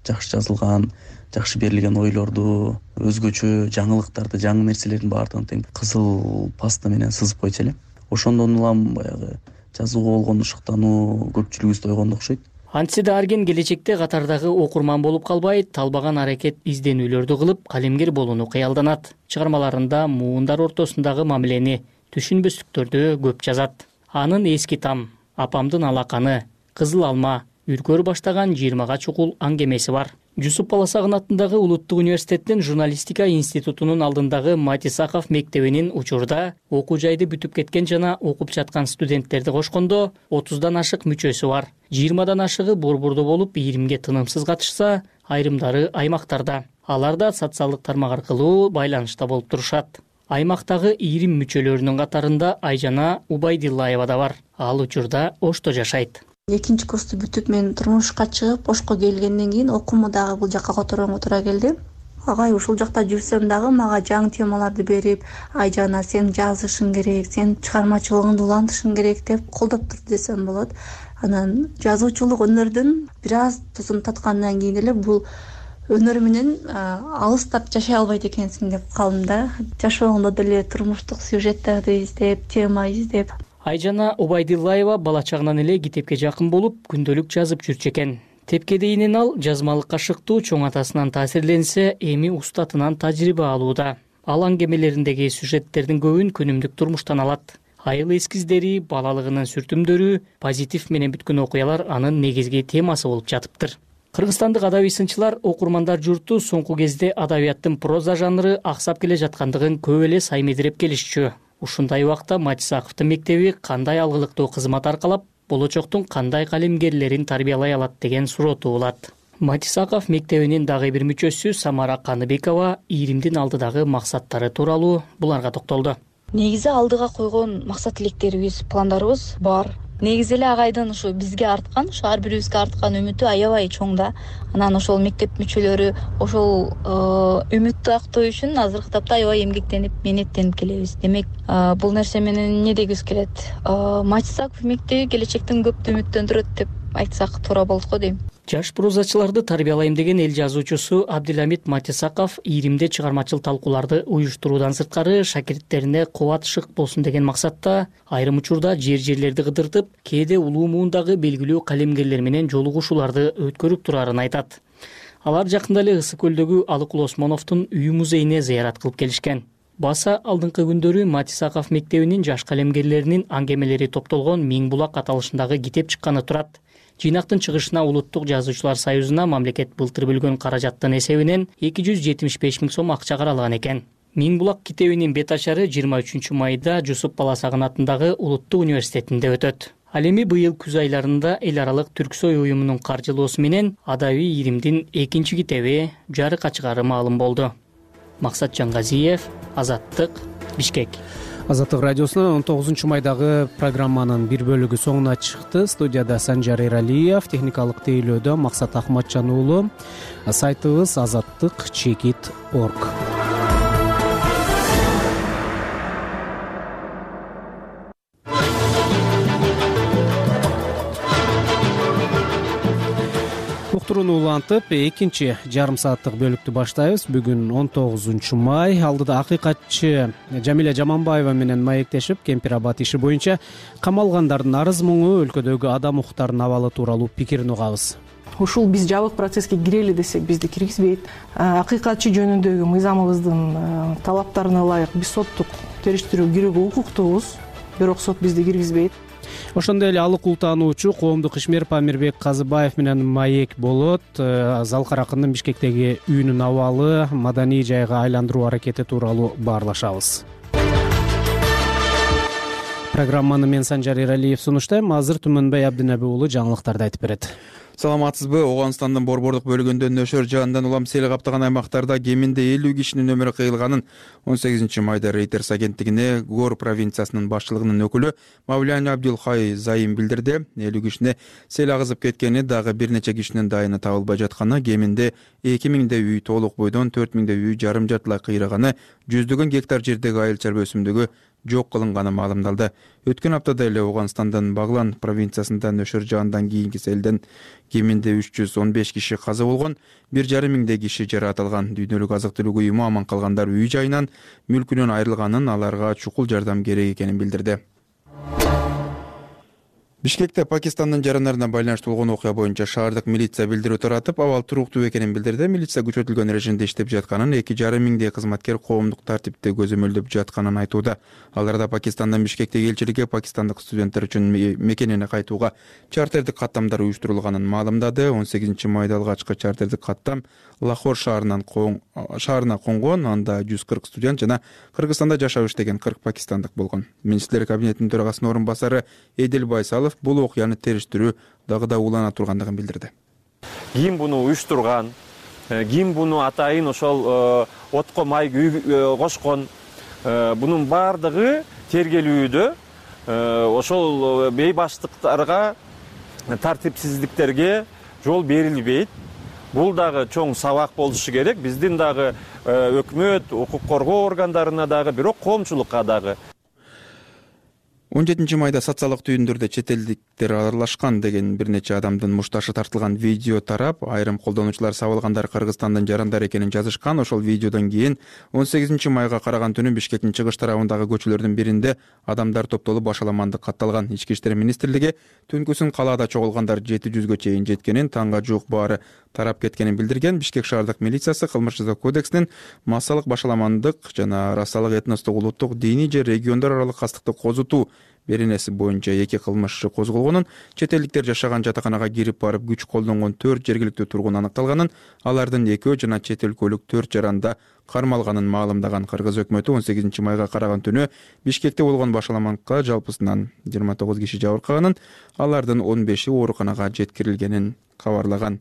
жакшы жазылган, жакшы берилген ойлорду, өзгөчө жаңылыктарды, жаңы нерселердин баардыгын тең кызыл паста менен сызып койчу эле. Ошондон улам баягы жазууга болгон ушуктануу көпчүлүгүбүздө ойгондо окшойт. Антсе да Арген келечекте катардагы окурман болуп калбай, талбаган аракет изденүүлөрдү кылып, калемгер болууну кыялданат. Чыгармаларында муундар ортосундагы мамилени, түшүнбөстүктөрдү көп жазат. Анын эски там, апамдын алаканы, кызыл алма, үркөр баштаган жыйырмага чукул аңгемеси бар. Жусуп Баласагын атындагы Улуттук университеттин журналистика институтунун алдындагы Матисаков мектебинин учурда окуу жайды бүтүп кеткен жана окуп жаткан студенттерди кошкондо отуздан ашык мүчөсү бар. жыйырмадан ашыгы борбордо болуп, ийримге тынымсыз катышса, айрымдары аймактарда. Алар да социалдык тармак аркылуу байланышта болуп турушат. Аймактагы ийрим мүчөлөрүнүн катарында Айжана Убайдиллаева да бар. Ал учурда Ошто жашайт. Экинчи курсту бүтүп мен турмушка чыгып, Ошко келгенден кийин окууму дагы бул жакка которгонго туура келди. Агай ушул жакта жүрсөм дагы мага жаңы темаларды берип, Айжана сен жазышың керек, сен чыгармачылыгыңды улантышың керек деп колдоп турду десем болот. Анан жазуучулук өнөрдүн бир аз тузун таткандан кийин эле бул өнөр менен алыстап жашай албайт экенсиң деп калдым да. Жашоомдо деле турмуштук сюжеттерди издеп, тема издеп. Айжана Убайдиллаева бала чагынан эле китепке жакын болуп, күндөлүк жазып жүрчү экен. Тепке дейинен ал жазмалыкка шыктуу, чоң атасынан таасирленсе, эми устатынан тажрыйба алууда. Ал аңгемелериндеги сюжеттердин көбүн күнүмдүк турмуштан алат. Айыл эскиздери, балалыгынын сүртүмдөрү, позитив менен бүткөн окуялар анын негизги темасы болуп жатыптыр. Кыргызстандык адабий сынчылар, окурмандар журту соңку кезде адабияттын проза жанры аксап келе жаткандыгын көп эле саймедирип келишчү. Ушундай убакта Матисаковдун мектеби кандай алгылыктуу кызмат аркалап, болочоктун кандай калемгерлерин тарбиялай алат деген суроо туулат. Матисаков мектебинин дагы бир мүчөсү Самара Каныбекова ийримдин алдыдагы максаттары тууралуу буларга токтолду. Негизи алдыга койгон максат тилектерибиз, пландарыбыз бар. Негизи эле агайдын ушу бизге арткан, ушу ар бирибизге арткан үмүтү аябай чоң да. Анан ошол мектеп мүчөлөрү ошол үмүттү актоо үчүн азыркы тапта аябай эмгектенип, менеттенип келебиз. Демек, бул нерсе менен эмне дегибиз келет? Матисаков мектеби келечектен көптү үмүттөндүрөт деп айтсак туура болот го дейм. Жаш прозачыларды тарбиялайм деген эл жазуучусу Абдиламит Матисаков ийримде чыгармачыл талкууларды уюштуруудан сырткары шакирттерине кубат шык болсун деген максатта айрым учурда жер-жерлерди кыдыртып, кээде улуу муундагы белгилүү калемгерлер менен жолугушууларды өткөрүп турарын айтат. Алар жакында эле Ысык көлдөгү Алыкул Осмоновдун үй музейине зыярат кылып келишкен. Баса алдыңкы күндөрү Матисаков мектебинин жаш калемгерлеринин аңгемелери топтолгон Миң булак аталышындагы китеп чыкканы турат. Жыйнактын чыгышына Улуттук жазуучулар союзуна мамлекет былтыр бөлгөн каражаттын эсебинен эки жүз жетимиш беш миң сом акча каралган экен. Миң булак китебинин бет ашары жыйырма үчүнчү майда Жусуп Баласагын атындагы Улуттук университетинде өтөт. Ал эми быйыл күз айларында эл аралык Түрксой уюмунун каржылоосу менен Адабий иримдин экинчи китеби жарыкка чыгаары маалым болду. Максат Жангазиев, Азаттык, Бишкек. Азаттык радиосунун он тогузунчу майдагы программанын бир бөлүгү соңуна чыкты. Студияда Санжар Эралиев, техникалык тейлөөдө Максат Ахматжан уулу. Сайтыбыз азаттык чекит точка орг. Уктурууну улантып, экинчи жарым сааттык бөлүктү баштайбыз. Бүгүн он тогузунчу май. Алдыда акыйкатчы Жамиля Жаманбаева менен маектешип, Кемпир Абад иши боюнча камалгандардын арыз муңу, өлкөдөгү адам укуктарынын абалы тууралуу пикирин угабыз. Ушул биз жабык процесске кирели десек бизди киргизбейт. Акыйкатчы жөнүндөгү мыйзамыбыздын талаптарына ылайык биз соттук териштирүүгө кирүүгө укуктуубуз, бирок сот бизди киргизбейт. Ошондой эле алык ултаануучу коомдук ишмер Памирбек Казыбаев менен маек болот. Залкар акындын Бишкектеги үйүнүн абалы, маданий жайга айландыруу аракети тууралуу баарлашабыз. Программаны мен Санжар Эралиев сунуштайм. Азыр Түмөнбай Абдинеби уулу жаңылыктарды айтып берет. Саламатсызбы? Ооганстандын Борбордук бөлүгүндө нөшөр жаандан улам сел каптаган аймактарда кеминде элүү кишинин өмүрү кыйылганын он сегизинчи майда Reuters агенттигине Гор провинциясынын башчылыгынын өкүлү Мавлян Абдулхай Зайым билдирди. элүү кишине сел агызып кеткени, дагы бир нече кишинин дайыны табылбай жатканы, кеминде эки миңдей үй толук бойдон, төрт миңдей үй жарым жартылай кыйраганы, жүздөгөн гектар жердеги айыл чарба өсүмдүгү жок кылынганы маалымдалды. Өткөн аптада эле Ооганстандын Баглан провинциясында нөшөр жаандан кийинки селден кеминде үч жүз он беш киши каза болгон, бир жарым миңдей киши жаратылган. Дүйнөлүк азык түлүк уюму аман калгандар үй жайынан, мүлкүнөн айрылганын, аларга чукул жардам керек экенин билдирди. Бишкекте Пакистандын жарандарына байланыштуу болгон окуя боюнча шаардык милиция билдирүү таратып, абал туруктуу экенин билдирди. Милиция күчөтүлгөн режимде иштеп жатканын, эки жарым миңдей кызматкер коомдук тартипти көзөмөлдөп жатканын айтууда. Аларда Пакистандын Бишкектеги элчилиги пакистандык студенттер үчүн мекенине кайтууга чартердик каттамдар уюштурулганын маалымдады. он сегизинчи майда алгачкы чартердик каттам Лахор шаарынан шаарына конгон. Анда жүз кырк студент жана Кыргызстанда жашап иштеген кырк пакистандык болгон. Министрлер кабинетинин төрагасынын орун басары Эдил Байсалов бул окуяны териштирүү дагы да улана тургандыгын билдирди. Ким буну уюштурган, ким буну атайын ошол отко май кошкон, бунун бардыгы тергелүүдө ошол бейбаштыктарга, тартипсиздиктерге жол берилбейт. Бул дагы чоң сабак болушу керек. Биздин дагы өкмөт, укук коргоо органдарына дагы, бирок коомчулукка дагы. он жетинчи майда социалдык түйүндөрдө чет элдиктер аралашкан деген бир нече адамдын мушташы тартылган видео тарап, айрым колдонуучулар сабылгандар Кыргызстандын жарандар экенин жазышкан. Ошол видеодон кийин он сегизинчи майга караган түнү Бишкектин чыгыш тарабындагы көчөлөрдүн биринде адамдар топтолуп башаламандык катталган. Ички иштер министрлиги түнкүсүн калаада чогулгандар жети жүзгө чейин жеткенин, таңга жуук баары тарап кеткенин билдирген. Бишкек шаардык милициясы кылмыш жаза кодексинин массалык башаламандык жана расалык, этностук, улуттук, диний же региондор аралык кастыкты козутуу беренеси боюнча эки кылмыш козголгонун, чет элдиктер жашаган жатаканага кирип барып күч колдонгон төрт жергиликтүү тургун аныкталганын, алардын экөө жана чет өлкөлүк төрт жаранда кармалганын маалымдаган. Кыргыз өкмөтү он сегизинчи майга караган түнү Бишкекте болгон башаламандыкка жалпысынан жыйырма тогуз киши жабыркаганын, алардын он беши ооруканага жеткирилгенин кабарлаган.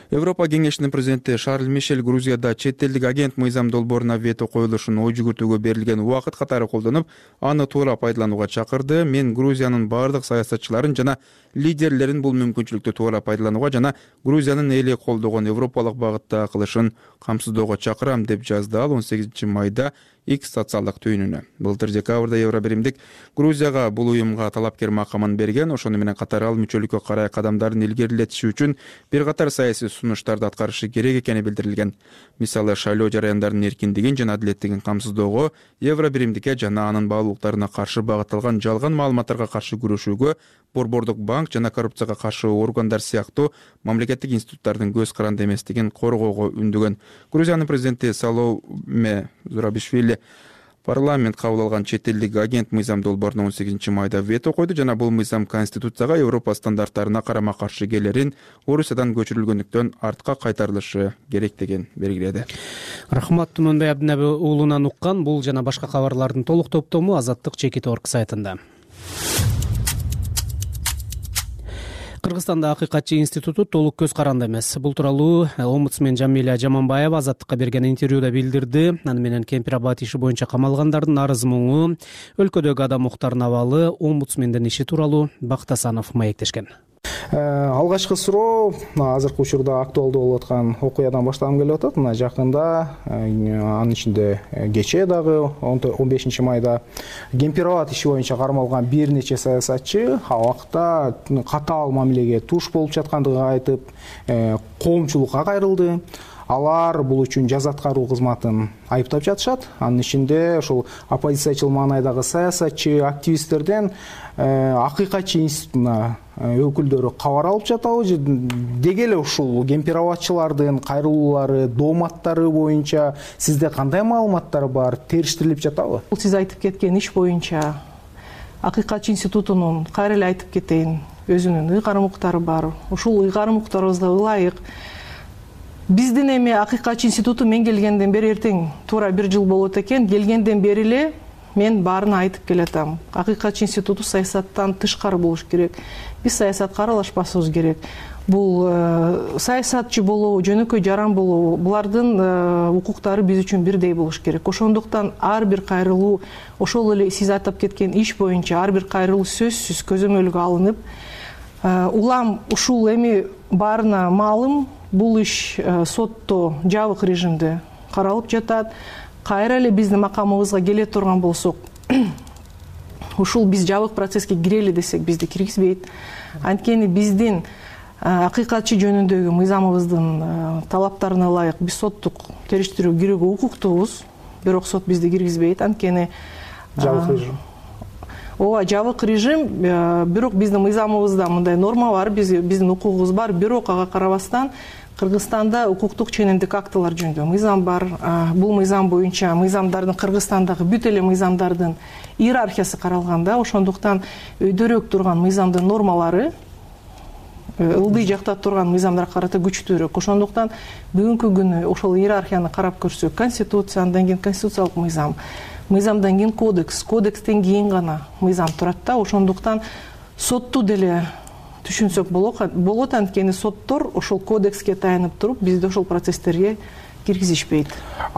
Европа кеңешинин президенти Шарль Мишель Грузияда чет элдик агент мыйзам долбооруна вето коюлушун ой жүгүртүүгө берилген убакыт катары колдонуп, аны туура пайдаланууга чакырды. Мен Грузиянын бардык саясатчыларын жана лидерлерин бул мүмкүнчүлүктү туура пайдаланууга жана Грузиянын эли колдогон европалык багытта кылышын камсыздоого чакырам, деп жазды ал он сегизинчи майда X социалдык түйүнүнө. Былтыр декабрда Евробиримдик Грузияга бул уюмга талапкер макамын берген. Ошону менен катар ал мүчөлүккө карай кадамдарын илгерилетиши үчүн бир катар саясий сунуштарды аткарышы керек экени билдирилген. Мисалы, шайлоо жарыяндарынын эркиндигин жана адилеттигин камсыздоого, Евробиримдикке жана анын баалуулуктарына каршы багытталган жалган маалыматтарга каршы күрөшүүгө Борбордук банк жана коррупцияга каршы органдар сыяктуу мамлекеттик институттардын көз каранды эместигин коргоого үндөгөн. Грузиянын президенти Саломе Зурабишвили Парламент кабыл алган чет элдик агент мыйзам долбооруна он сегизинчи майда вето койду жана бул мыйзам Конституцияга Европа стандарттарына карама каршы келерин, Орусиядан көчүрүлгөндүктөн артка кайтарылышы керек деген белгиледи. Рахмат Түмөнбай Абдинаби уулунан уккан бул жана башка кабарлардын толук топтому Азаттык чекит точка орг сайтында. Кыргызстанда Акыйкатчы институту толук көз каранды эмес. Бул тууралуу омбудсмен Жамиля Жаманбаева Азаттыкка берген интервьюда билдирди. Аны менен Кемпир-Абад иши боюнча камалгандардын арыз муңу, өлкөдөгү адам укуктарынын абалы, омбудсмендин иши тууралуу Бактасанов маектешкен. Алгачкы суроо азыркы учурда актуалдуу болуп аткан окуядан баштагым келип атат. Мына жакында, анын ичинде кечээ дагы он бешинчи майда Кемпир-Абад иши боюнча кармалган бир нече саясатчы абакта катаал мамилеге туш болуп жаткандыгын айтып, коомчулукка кайрылды. Алар бул үчүн жаза аткаруу кызматын айыптап жатышат. Анын ичинде ошол оппозициячыл маанайдагы саясатчы, активисттерден Акыйкатчы институтуна өкүлдөрү кабар алып жатабы деги эле ушул Кемпир-Абадчылардын кайрылуулары, дооматтары боюнча сизде кандай маалыматтар бар, териштирилип жатабы? Бул сиз айтып кеткен иш боюнча Акыйкатчы институтунун кайра эле айтып кетейин, өзүнүн ыйгарым укуктары бар. Ушул ыйгарым укуктарыбызга ылайык биздин эми Акыйкатчы институту мен келгенден бери эртең туура бир жыл болот экен. Келгенден бери эле мен баарын айтып келатам. Акыйкатчы институту саясаттан тышкары болуш керек. Биз саясатка аралашпашыбыз керек. Бул саясатчы болобу, жөнөкөй жаран болобу, булардын укуктары биз үчүн бирдей болуш керек. Ошондуктан ар бир кайрылуу, ошол эле сиз атап кеткен иш боюнча ар бир кайрылуу сөзсүз көзөмөлгө алынып, улам ушул эми баарына маалым, бул иш сотто жабык режимде каралып жатат. Кайра эле биздин макамыбызга келе турган болсок, ушул биз жабык процесске кирели десек бизди киргизбейт. Анткени биздин акыйкатчы жөнүндөгү мыйзамыбыздын талаптарына ылайык биз соттук териштирүү кирүүгө укуктуубуз, бирок сот бизди киргизбейт. Анткени жабык режим. Ооба, жабык режим, бирок биздин мыйзамыбызда мындай норма бар, биздин укугубуз бар, бирок ага карабастан Кыргызстанда укуктук ченемдик актылар жөнүндө мыйзам бар. Бул мыйзам боюнча мыйзамдардын Кыргызстандагы бүт эле мыйзамдардын иерархиясы каралганда, ошондуктан өйдөрөөк турган мыйзамдын нормалары ылдый жакта турган мыйзамдарга карата күчтүүрөөк. Ошондуктан бүгүнкү күнү ошол иерархияны карап көрсөк, конституция, андан кийин конституциялык мыйзам, мыйзамдан кийин кодекс, кодекстен кийин гана мыйзам турат да. Ошондуктан сотту деле түшүнсөк болот, анткени соттор ошол кодекске таянып туруп бизди ошол процесстерге киргизишпейт.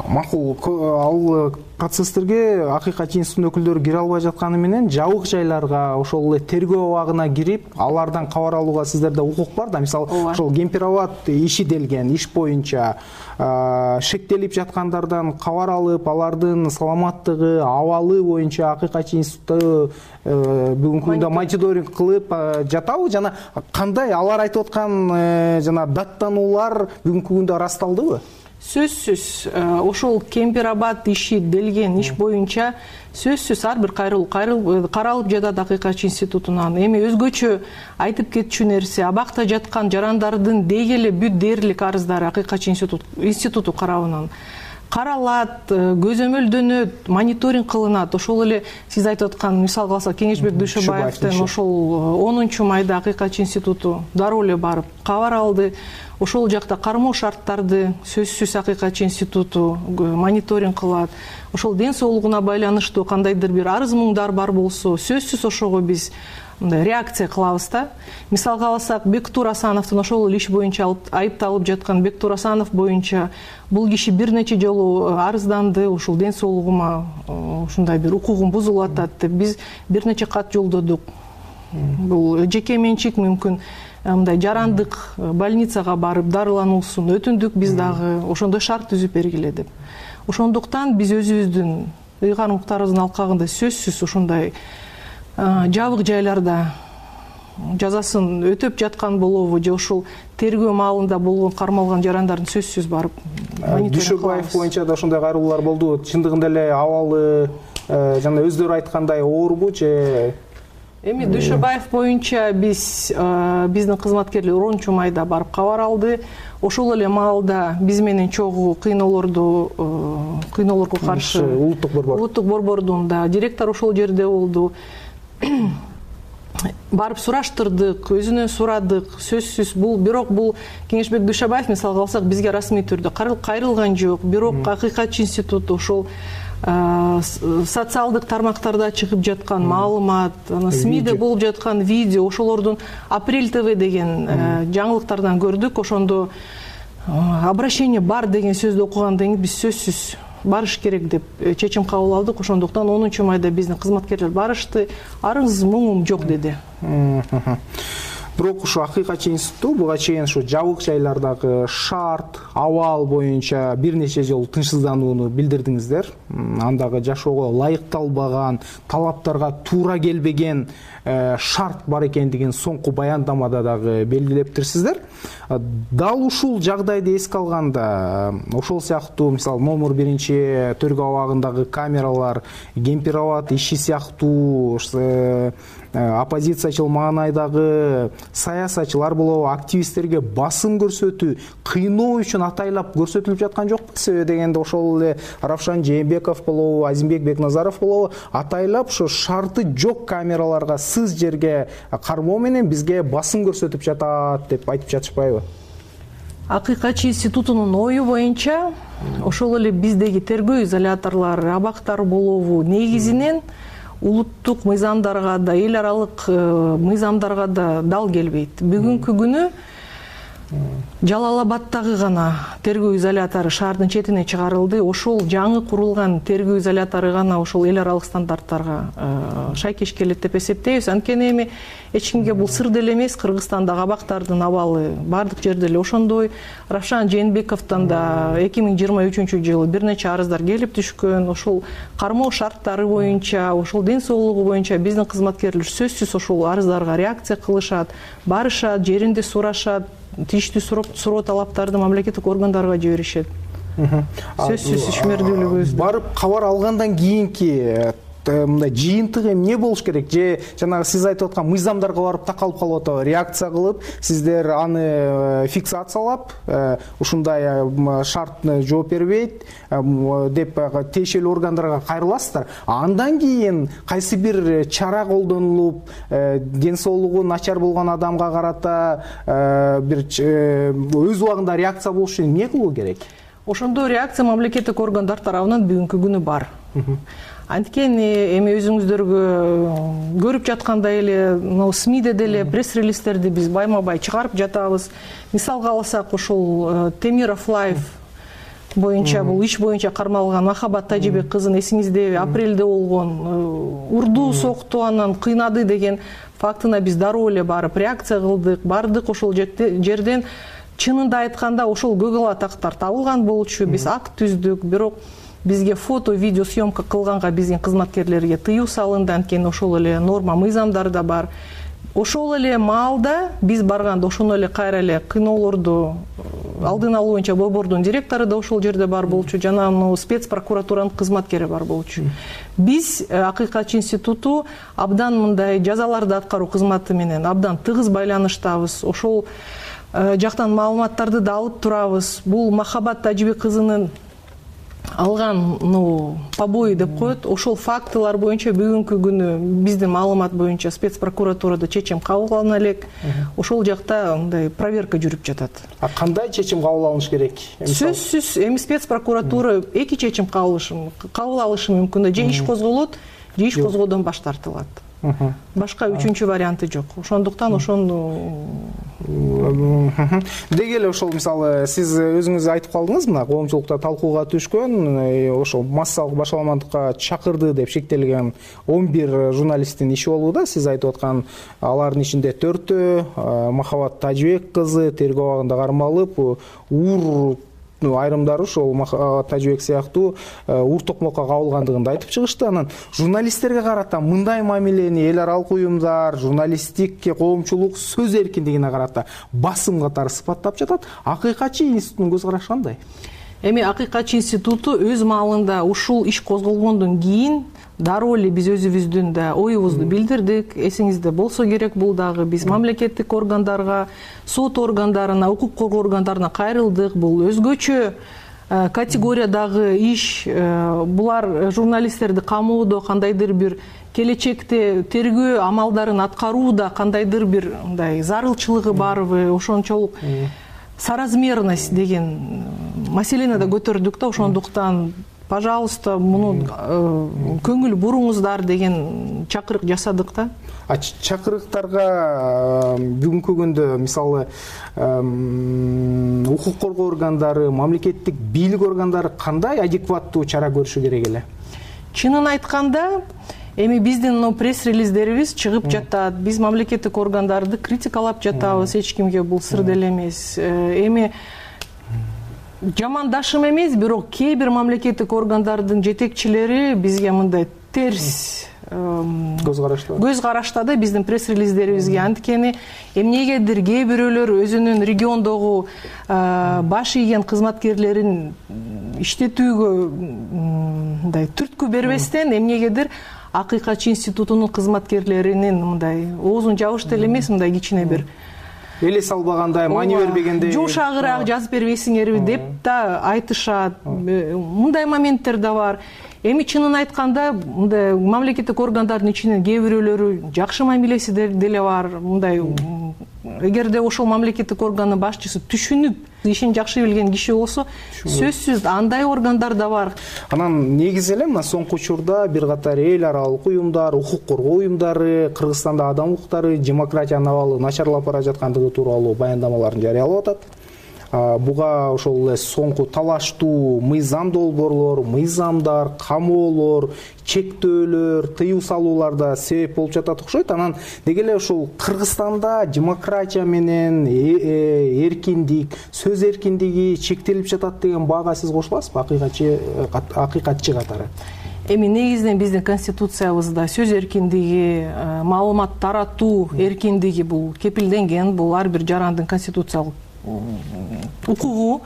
Макул, ал процесстерге Акыйкатчы институтунун өкүлдөрү кире албай жатканы менен жабык жайларга, ошол эле тергөө абагына кирип, алардан кабар алууга сиздерде укук бар да. Мисалы, ошол Кемпир-Абад иши делген иш боюнча шектелип жаткандардан кабар алып, алардын саламаттыгы, абалы боюнча Акыйкатчы институту бүгүнкү күндө мониторинг кылып жатабы жана кандай алар айтып аткан жана даттануулар бүгүнкү күндө ырасталдыбы? Сөзсүз, ошол Кемпир-Абад иши делген иш боюнча сөзсүз ар бир кайрылуу каралып жатат Акыйкатчы институтунан. Эми өзгөчө айтып кетчү нерсе, абакта жаткан жарандардын деги эле бүт дээрлик арыздары Акыйкатчы институту карабынан каралат, көзөмөлдөнөт, мониторинг кылынат. Ошол эле сиз айтып аткан, мисалга алсак, Кеңешбек Дүйшөбаевдин ошол онунчу майда Акыйкатчы институту дароо эле барып кабар алды. Ошол жакта кармоо шарттарды сөзсүз Акыйкатчы институту мониторинг кылат. Ошол ден соолугуна байланыштуу кандайдыр бир арыз муңдар бар болсо, сөзсүз ошого биз реакция кылабыз да. Мисалга алсак, Бектур Асановдун ошол иш боюнча айыпталып жаткан Бектур Асанов боюнча бул киши бир нече жолу арызданды, ушул ден соолугума ушундай бир укугум бузулуп атат деп биз бир нече кат жолдодук. Бул жеке менчик, мүмкүн мындай жарандык больницага барып дарылануусун өтүндүк биз дагы, ошондой шарт түзүп бергиле деп. Ошондуктан биз өзүбүздүн ыйгарым укуктарыбыздын алкагында сөзсүз ушундай жабык жайларда жазасын өтөп жаткан болобу же ошол тергөө маалында болгон кармалган жарандардын сөзсүз барып мониторинг кылабыз. Дүйшөбаев боюнча да ошондой кайрылуулар болду. Чындыгында эле абалы жана өздөрү айткандай оорбу же эми Дүйшөбаев боюнча биз биздин кызматкерлер онунчу майда барып кабар алды. Ошол эле маалда биз менен чогуу кыйноолорду кыйноолорго каршы улуттук борбор улуттук борбордун да директору ошол жерде болду. Барып сураштырдык, өзүнөн сурадык. Сөзсүз бул, бирок бул Кеңешбек Дүйшөбаев мисалга алсак бизге расмий түрдө кайрылган жок. Бирок Акыйкатчы институту ошол социалдык тармактарда чыгып жаткан маалымат, СМИде болуп жаткан видео, ошолордун Апрель ТВ деген жаңылыктардан көрдүк. Ошондо обращение бар деген сөздү окугандан кийин биз сөзсүз барыш керек деп чечим кабыл алдык. Ошондуктан онунчу майда биздин кызматкерлер барышты. Арыз муңум жок деди. Бирок ушу Акыйкатчы институту буга чейин ушу жабык жайлардагы шарт, абал боюнча бир нече жолу тынчсызданууну билдирдиңиздер. Андагы жашоого ылайыкталбаган, талаптарга туура келбеген шарт бар экендигин соңку баяндамада дагы белгилептирсиздер. Дал ушул жагдайды эске алганда, ошол сыяктуу мисалы номер биринчи төргө абагындагы камералар, Кемпироват иши сыяктуу оппозициячыл маанайдагы саясатчылар болобу, активисттерге басым көрсөтүү, кыйноо үчүн атайлап көрсөтүлүп жаткан жокпу? Себеби дегенде ошол эле Равшан Жээнбеков болобу, Азимбек Бекназаров болобу атайлап ушу шарты жок камераларга, сыз жерге кармоо менен бизге басым көрсөтүп жатат деп айтып жатышпайбы? Акыйкатчы институтунун ою боюнча ошол эле биздеги тергөө изоляторлор, абактар болобу негизинен улуттук мыйзамдарга да, эл аралык мыйзамдарга да дал келбейт. Бүгүнкү күнү Жалал Абадтагы гана тергөө изолятору шаардын четине чыгарылды. Ошол жаңы курулган тергөө изолятору гана ошол эл аралык стандарттарга шайкеш келет деп эсептейбиз. Анткени эми эч кимге бул сыр деле эмес, Кыргызстандагы абактардын абалы бардык жерде эле ошондой. Равшан Жээнбековдон да эки миң жыйырма үчүнчү жылы бир нече арыздар келип түшкөн. Ошол кармоо шарттары боюнча, ошол ден соолугу боюнча биздин кызматкерлер сөзсүз ошол арыздарга реакция кылышат, барышат, жеринде сурашат, тийиштүү суроо талаптарды мамлекеттик органдарга жиберишет. Сөзсүз ишмердүүлүгүбүз. Барып кабар алгандан кийинки мындай жыйынтыгы эмне болуш керек? Же жанагы сиз айтып аткан мыйзамдарга барып такалып калып атабы? Реакция кылып, сиздер аны фиксациялап, ушундай шарт жооп бербейт деп тиешелүү органдарга кайрыласыздар. Андан кийин кайсы бир чара колдонулуп, ден соолугу начар болгон адамга карата бир өз убагында реакция болуш үчүн эмне кылуу керек? Ошондой реакция мамлекеттик органдар тарабынан бүгүнкү күнү бар. Анткени эми өзүңүздөргө көрүп жаткандай эле СМИде деле пресс-релизтерди биз байма-бай чыгарып жатабыз. Мисалга алсак, ошол Темиров Лайф боюнча, бул иш боюнча кармалган Махабат Тажибек кызын эсиңиздеби, апрелде болгон урду, сокту, анан кыйнады деген фактына биз дароо эле барып реакция кылдык, бардык. Ошол жерден чынында айтканда ошол көгал атактар табылган болчу, биз акт түздүк. Бирок бизге фото, видео съемка кылганга биздин кызматкерлерге тыюу салынды. Анткени ошол эле норма мыйзамдарда бар. Ошол эле маалда биз барганда ошону эле кайра эле кыйноолорду алдын алуу боюнча борбордун директору да ошол жерде бар болчу, жана спец прокуратуранын кызматкери бар болчу. Биз Акыйкатчы институту абдан мындай жазаларды аткаруу кызматы менен абдан тыгыз байланыштабыз. Ошол жактан маалыматтарды да алып турабыз. Бул Махабат Тажибек кызынын алган побои деп коет. Ошол фактылар боюнча бүгүнкү күнү биздин маалымат боюнча спец прокуратурада чечим кабыл алына элек. Ошол жакта мындай проверка жүрүп жатат. А кандай чечим кабыл алыныш керек? Сөзсүз эми спец прокуратура эки чечим кабыл алышы мүмкүн. Же иш козголот, же иш козгоодон баш тартылат. Башка үчүнчү варианты жок. Ошондуктан ошону деги эле ошол мисалы сиз өзүңүз айтып калдыңыз, мына коомчулукта талкууга түшкөн, ошол массалык башаламандыкка чакырды деп шектелген он бир журналисттин иши болду да. Сиз айтып аткан алардын ичинде төртөө Махабат Тажибек кызы тергөө абагында кармалып, уур айрымдары ошол Тажибек сыяктуу ур токмокко кабылгандыгын айтып чыгышты. Анан журналисттерге карата мындай мамилени эл аралык уюмдар, журналисттик коомчулук сөз эркиндигине карата басым катары сыпаттап жатат. Акыйкатчы институтунун көз карашы кандай? Эми Акыйкатчы институту өз маалында ушул иш козголгондон кийин дароо эле биз өзүбүздүн да оюбузду билдирдик. Эсиңизде болсо керек, бул дагы биз мамлекеттик органдарга, сот органдарына, укук коргоо органдарына кайрылдык. Бул өзгөчө категориядагы иш. Булар журналисттерди камоодо кандайдыр бир келечекте тергөө амалдарын аткарууда кандайдыр бир мындай зарылчылыгы барбы, ошончолук соразмерность деген маселени да көтөрдүк да. Ошондуктан пожалуйста, муну көңүл буруңуздар деген чакырык жасадык да. Чакырыктарга бүгүнкү күндө мисалы укук коргоо органдары, мамлекеттик бийлик органдары кандай адекваттуу чара көрүшү керек эле? Чынын айтканда, эми биздин пресс-релиздерибиз чыгып жатат. Биз мамлекеттик органдарды критикалап жатабыз, эч кимге бул сыр деле эмес. Эми жамандашым эмес, бирок кээ бир мамлекеттик органдардын жетекчилери бизге мындай терс көз карашта көз карашта да биздин пресс-релиздерибизге. Анткени эмнегедир кээ бирөөлөр өзүнүн региондогу баш ийген кызматкерлерин иштетүүгө мындай түрткү бербестен эмнегедир Акыйкатчы институтунун кызматкерлеринин мындай оозун жабыш деле эмес, мындай кичине бир эле салбагандай, маани бербегендей, жумшагыраак жазып бербейсиңерби деп да айтышат. Мындай моменттер да бар. Эми чынын айтканда, мындай мамлекеттик органдардын ичинен кээ бирөөлөрү жакшы мамилеси деле бар. Мындай эгерде ошол мамлекеттик органдын башчысы түшүнүп, ишин жакшы билген киши болсо, сөзсүз андай органдар да бар. Анан негизи эле мына соңку учурда бир катар эл аралык уюмдар, укук коргоо уюмдары Кыргызстанда адам укуктары, демократиянын абалы начарлап бара жаткандыгы тууралуу баяндамаларын жарыялап атат. Буга ошол эле соңку талаштуу мыйзам долбоорлор, мыйзамдар, камоолор, чектөөлөр, тыюу салуулар да себеп болуп жатат окшойт. Анан деги эле ушул Кыргызстанда демократия менен эркиндик, сөз эркиндиги чектелип жатат деген баага сиз кошуласызбы, акыйкатчы акыйкатчы катары? Эми негизинен биздин конституциябызда сөз эркиндиги, маалымат таратуу эркиндиги бул кепилденген. Бул ар бир жарандын конституциялык укугу.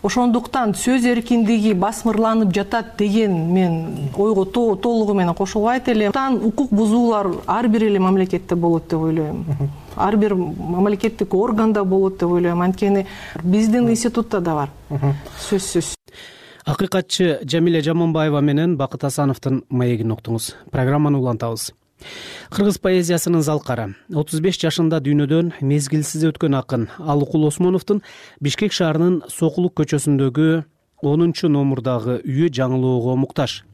Ошондуктан сөз эркиндиги басмырланып жатат деген мен ойго толугу менен кошулбайт элем. Укук бузуулар ар бир эле мамлекетте болот деп ойлойм. Ар бир мамлекеттик органда болот деп ойлойм. Анткени биздин институтта да бар. Сөзсүз. Акыйкатчы Жамиле Жаманбаева менен Бакыт Асановдун маегин уктуңуз. Программаны улантабыз. Кыргыз поэзиясынын залкары отуз беш жашында дүйнөдөн мезгилсиз өткөн акын Алыкул Осмоновдун Бишкек шаарынын Сокулук көчөсүндөгү онунчу номурдагы үйү жаңылоого муктаж.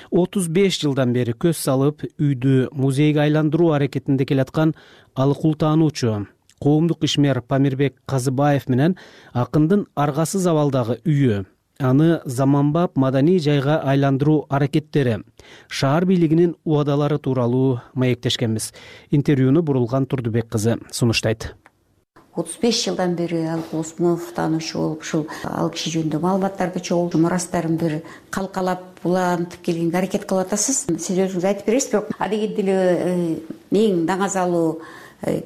отуз беш жылдан бери көз салып үйдү музейге айландыруу аракетинде келаткан Алыкул таануучу коомдук ишмер Памирбек Казыбаев менен акындын аргасыз абалдагы үйү, аны заманбап маданий жайга айландыруу аракеттери, шаар бийлигинин убадалары тууралуу маектешкенбиз. Интервьюну Бурулган Турдубек кызы сунуштайт. отуз беш жылдан бери Алыкул Осмонов таануучу болуп, ушул ал киши жөнүндө маалыматтарды чогултуп, мурастарын бир калкалап, улантып келгенге аракет кылып атасыз. Сиз өзүңүз айтып бересиз, бирок адегенде деле эң даңазалуу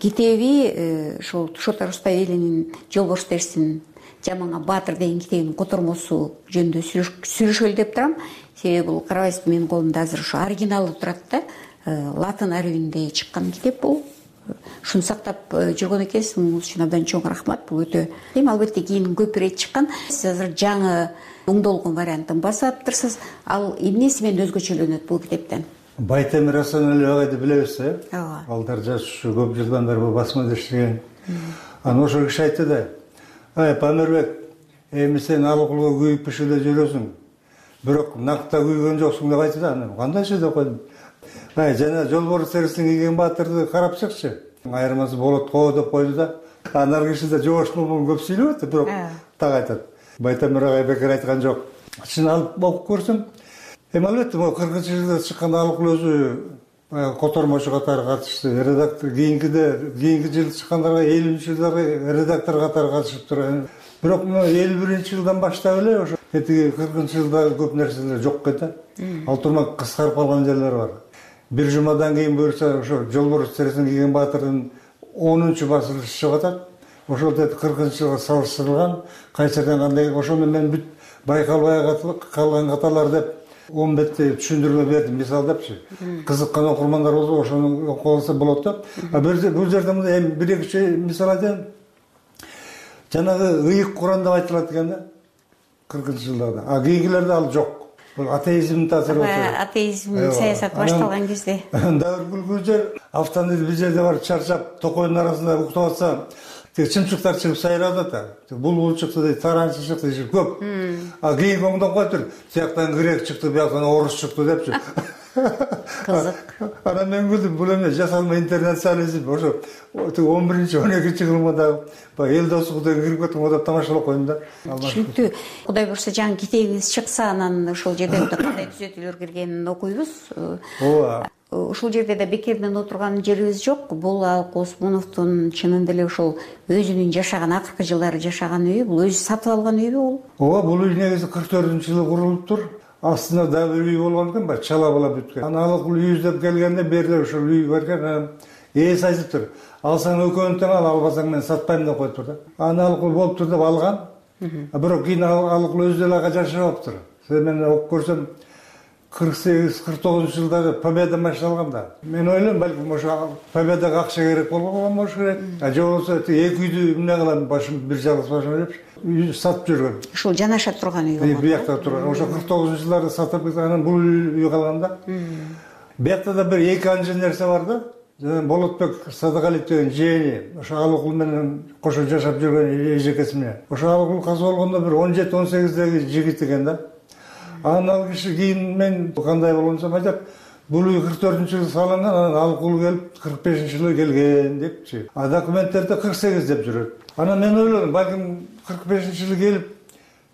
китеби ушул Шота Рустай элинин Жолборс Терсин Жаманга Баатыр деген китебинин котормосу жөнүндө сүйлөшөлү деп турам. Себеби бул карабайсызбы, менин колумда азыр ушу оригиналы турат да. Латын арабинде чыккан китеп бул. Ушуну сактап жүргөн экенсиз, муңуз үчүн абдан чоң рахмат. Бул өтө эми албетте кийин көп ирет чыккан. Сиз азыр жаңы оңдолгон вариантын басып атыптырсыз. Ал эмнеси менен өзгөчөлөнөт бул китептен? Байтемир Асанәлиев агайды билебиз, э? Ооба. Алдар жаш көп жылдан бери бул басмада иштеген. Анан ошол киши айтты да: "Ай, Памирбек, эми сен Алыкулга күйүп пишиде жүрөсүң. Бирок накта күйгөн жоксуң" деп айтты да. Кандайчы деп койдум. Ай, жана Жолборс Терсин кийген Баатырды карап чыкчы. Айырмасы болот го деп койду да. Анар киши да жоош болгон көп сүйлөп атты, бирок так айтат. Байтемир агай бекер айткан жок. Чын алып окуп көрсөм, эми албетте могу кыркынчы жылда чыккан Алыкул өзү котормочу катары катышты. Редактор кийинкиде, кийинки жылы чыккандарга элүүнчү жылдары редактор катары катышып турат. Бирок элүү биринчи жылдан баштап эле ошо этиги кыркынчы жылда көп нерселер жок экен. Ал турма кыскарып калган жерлер бар. Бир жумадан кийин буюрса ошо Жолборс Терсин кийген Баатырдын онунчу басылышы чыгып атат. Ошол деди кыркынчы жылга салыштырылган, кайсы жерден кандай, ошону мен бүт байкалбай калган каталар деп он бетте түшүндүрмө бердим, мисал депчи. Кызыккан окурмандар болсо ошону окуп алса болот да. А бул жерде мындай эми бир эки мисал айтайын. Жанагы ыйык Куран деп айтылат экен да. кыркынчы жылдарда. А кийинкилерде ал жок. Бул атеизмдин таасири болчу. Атеизм саясат башталган кезде. Дагы күлкүлүү жер, автомобиль бир жерде барып чарчап, токойдун арасында уктап атса, тиги чымчыктар чыгып сайрап атат. Булбул чыкты дейт, таранчы чыкты дейт, көп. А кийин оңдоп коюптур. Тияктан грек чыкты, бияктан орус чыкты депчи. Кызык. Анан мен күлдүм, бул эме жасалма интернационализм. Ошо он биринчи он экинчи кылымда баягы эл достугу кирип кетип деп тамашалап койдум да. Түшүнүктүү. Кудай буюрса жаңы китебиңиз чыкса, анан ошол жерде кандай түзөтүүлөр киргенин окуйбуз. Ооба. Ушул жерде да бекерден отурган жерибиз жок. Бул Алык Осмоновдун чынында эле ошол өзүнүн жашаган акыркы жылдары жашаган үйү, бул өзү сатып алган үйүбү бул? Ооба, бул үй негизи кырк төртүнчү жылы курулуптур. Астында да бир үй болгон экен, баягы чала бала бүткөн. Анан Алык үй издеп келгенде берде ошол үй бар экен. Ээси айтыптыр. Алсаң экөөнү тең ал, албасаң мен сатпайм деп коюптур да. Анан Алык болуптур деп алган. Бирок кийин Алык өзү деле ага жашабаптыр. Мен окуп көрсөм кырк сегиз кырк тогузунчу жылдары Победа машина алгам да. Мен ойлойм, балким ошо Победага акча керек болгон болуш керек. А же болбосо эки үйдү эмне кылам, башым бир жалгыз башым деп үйдү сатып жүргөн. Ушул жанаша турган үй болгон. Биякта турган. Ошо кырк тогузунчу жылдары сатып кеткен, анан бул үй калган да. Биякта да бир эки анча нерсе бар да. Болотбек Садыгалиев деген жээни, ошо Алыкул менен кошо жашап жүргөн эжекеси менен. Ошо Алыкул каза болгондо бир он жети он сегиздеги жигит экен да. Анан ал киши кийин мен кандай болгонсом айтат, бул үй кырк төртүнчү жылы салынган, анан Алыкул келип кырк бешинчи жылы келген депчи. А документтерде кырк сегиз деп жүрөт. Анан мен ойлодум, балким кырк бешинчи жылы келип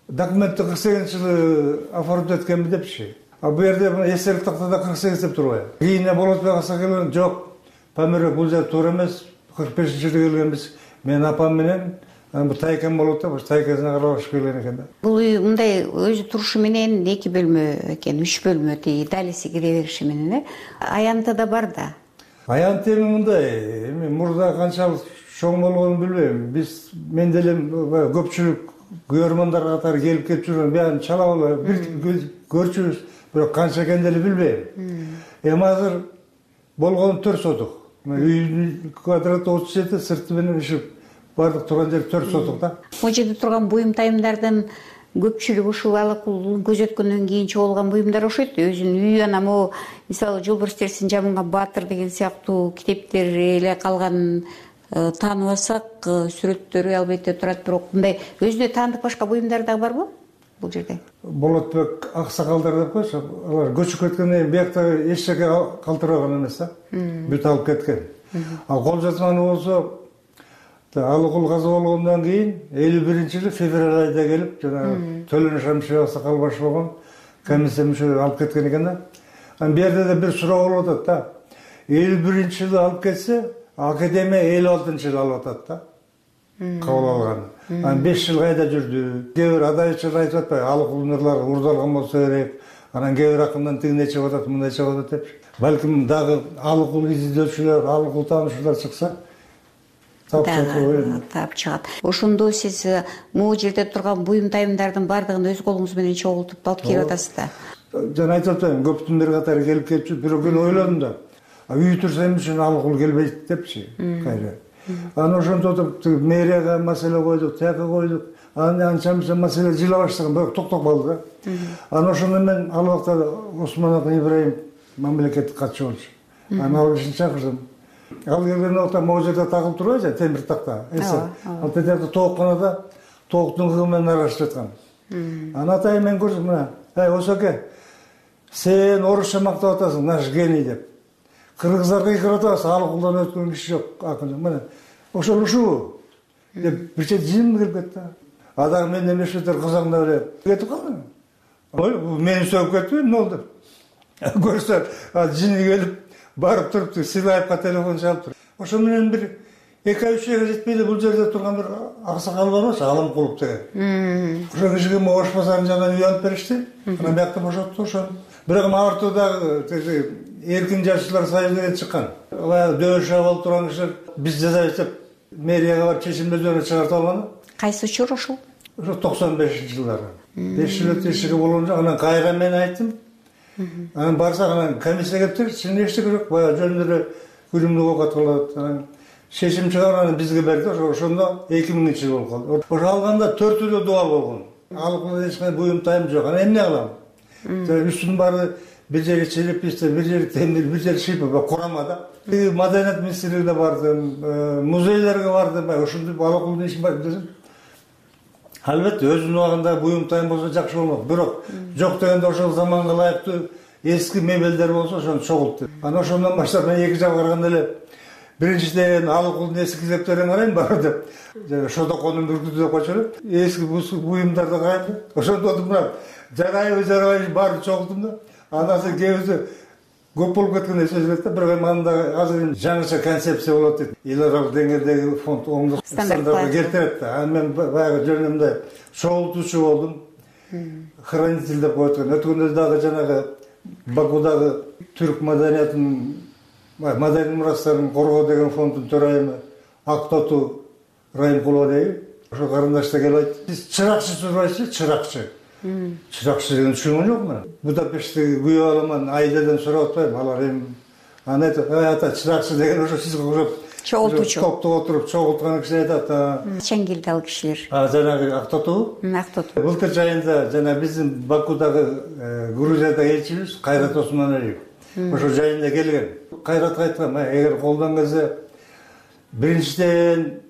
документти кырк сегизинчи жылы оформить эткенби депчи. А бу жерде эсептик тактада кырк сегиз деп турбайбы? Кийин Болотбек аса келген, жок, Памир бул жер туура эмес, кырк бешинчи жылы келгенбиз. Мен апам менен бу тайкам болот да, бул тайкасына карабаш келген экен да. Бул үй мындай өзү турушу менен эки бөлмө экен, үч бөлмө, тиги далиси кире бериши менен э. Аянты да бар да. Аянт эми мындай, эми мурда канчалык чоң болгонун билбейм. Биз мен деле көпчүлүк көрөрмандар катары келип кетип жүргөн, баягы чала бала бир көрчүбүз, бирок канча экенин деле билбейм. Эми азыр болгону төрт сотук. Үйдүн квадраты отуз жети, сырты менен иши бардык турган жер төрт сотук да. Могу жерде турган буюм тайымдардын көпчүлүгү ушул Алыкулдун көзөткөндөн кийин чогулган буюмдар окшойт. Өзүнүн үйү анан могу мисалы Жолбарс терисин жабынган Баатыр деген сыяктуу китептер эле калган, тааныбасак сүрөттөрү албетте турат, бирок мындай өзүнө таандык башка буюмдар дагы барбы бул жерде? Болотбек аксакалдар деп койсо, алар көчүп кеткенден кийин биякта эч жерге калтырбаган эмес да. Бүт алып кеткен. Ал кол жазманы болсо Алыкул каза болгондон кийин элүү биринчи жылы февраль айда келип, жана Төлөн Шамшиев аксакал баш болгон комиссия мүчөлөрү алып кеткен экен да. Анан бу жерде да бир суроо болуп атат да. элүү биринчи жылы алып кетсе, академия элүү алтынчы жылы алып атат да. Кабыл алган. Анан беш жыл кайда жүрдү? Кээ бир адайчылар айтып атпайбы, Алыкулдун ырлары урдалган болсо керек. Анан кээ бир акындан тигине чыгып атат, мындай чыгып атат деп. Балким дагы Алыкул изилдөөчүлөр, Алыкул таанышуулар чыкса, таап чыгат. Ошондо сиз могу жерде турган буюм тайымдардын баардыгын өз колуңуз менен чогултуп алып келип атасыз да. Жана айтып атпаймынбы, көптүн бир катары келип кетчү, бирок мен ойлодум да. Үй турса эмне үчүн Алыкул келбейт депчи. Кайра. Анан ошондо мэрияга маселе койдук, тияка койдук. Анан анча-мынча маселе жыла баштаган, бирок токтоп калды да. Анан ошондо мен ал убакта Осмонов Ибраим мамлекеттик катчы болчу. Анан ал кишини чакырдым. Ал келген убакта могу жерде тагылып турбайбы, темир такта, эсе. Ал тетекте тоокканада тооктун кыгы менен аралашып жаткан. Анан атайын мен көрдүм, мына, эй, Осоке, сен орусча мактап атасың, наш гений деп. Кыргыздар кыйкырып атасың, Алыкулдан өткөн киши жок, акын. Мына, ошол ушул деп бир чет жин кирип кетти. А дагы мен эмештер кызаңдап эле кетип калдым. Ой, мени сөгүп кетти, эмне болду деп. Көрсө, жини келип барып турупту, Силаевка телефон чалып тур. Ошо менен бир эки ай үч айга жетпей эле бул жерде турган бир аксакал бар эмес, Аламкулов деген. Ошо кишиге Ош базарынын жанынан үй алып беришти. Анан биякта бошотту ошо. Бирок артуудагы эркин жашчылар союзу деген чыккан. Баягы дөбөш абал турган кишилер биз жазабыз деп мэрияга барып чечим өздөрүнө чыгартып алган. Кайсы учур ошол? Ошо токсон бешинчи жылдары. беш жыл өтүп эчеге болгон жок. Анан кайра мен айттым. Анан барсак анан комиссия келиптир, ичинде эчтеке жок, баягы жөн эле күнүмдүк оокат кылат. Анан чечим чыгарып анан бизге берди. Ошондо эки миңинчи жыл болуп калды. Ошо алганда төртөө да дубал болгон. Алып эч кандай буюм тайым жок. Анан эмне кылам? Үстүнүн баары бир жери черепичте, бир жери темир, бир жери шипа, курама да. Маданият министрлигине бардым, музейлерге бардым, ошондой алакулдун иши бар десем. Албетте өзүнүн убагында буюм тайым болсо жакшы болмок. Бирок жок дегенде ошол заманга ылайыктуу эски мебелдер болсо ошону чогултtu. Анан ошондон баштап мен эки жагга караганда эле биринчиден алакулдун эски китептерин карайм баары деп. Шодоконун бүркүтү деп койчу эле. Эски буюмдарды карайм деп. Ошондо мына жарайбы жарабайбы баарын чогулттум да. Андан соң кээбиси көп болуп кеткенде сөз келет да. Бирок эми анда азыр жаңыча концепция болот дейт. Эл аралык деңгээлдеги фонд оңдук стандартка келтирет да. Анан мен баягы жөнүмдө чогултуучу болдум. Хранитель деп коет экен. Өткөндө дагы жанагы Бакудагы түрк маданиятынын маданий мурастарын коргоо деген фонддун төрайымы Актоту Райымкулова дейби. Ошо карындаш да келип айтты. Сиз чыракчы сурайсыз, чыракчы. Чыракчы деген түшүнгөн жокмун. Будапешттеги күйөө аламан айдадан сурап атпайм. Алар эми аны айтат, ата чыракчы деген ошо сизге окшоп чогултуучу. Топто отуруп чогулткан киши айтат. Качан келди ал кишилер? А жанагы Актоту? Актоту. Былтыр жайында жана биздин Бакудагы Грузиядагы элчибиз Кайрат Осмоналиев ошо жайында келген. Кайратка айткан, эгер колдон келсе биринчиден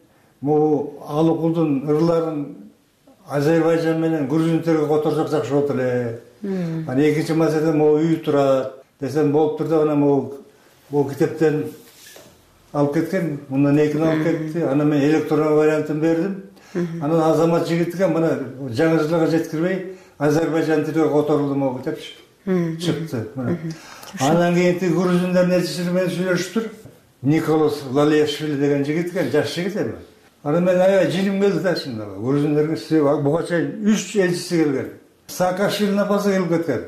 могу алакулдун ырларын Азербайжан менен грузин тилиге которсок жакшы болот эле. Анан экинчи маселе могу үй турат десем болуптур деп анан могу бул китептен алып кеткен, мындан экини алып кетти. Анан мен электронный вариантын бердим. Анан Азамат жигитке мына жаңы жылга жеткирбей Азербайжан тилиге которулду могу китепчи. Чыкты. Андан кийин тиги грузиндердин элчиси менен сүйлөшүптүр. Николас Лалешвили деген жигит экен, жаш жигит эми. Анан мен аябай жиним келди да чындап. Грузиндерге буга чейин үч элчиси келген. Саакашвилинин апасы келип кеткен.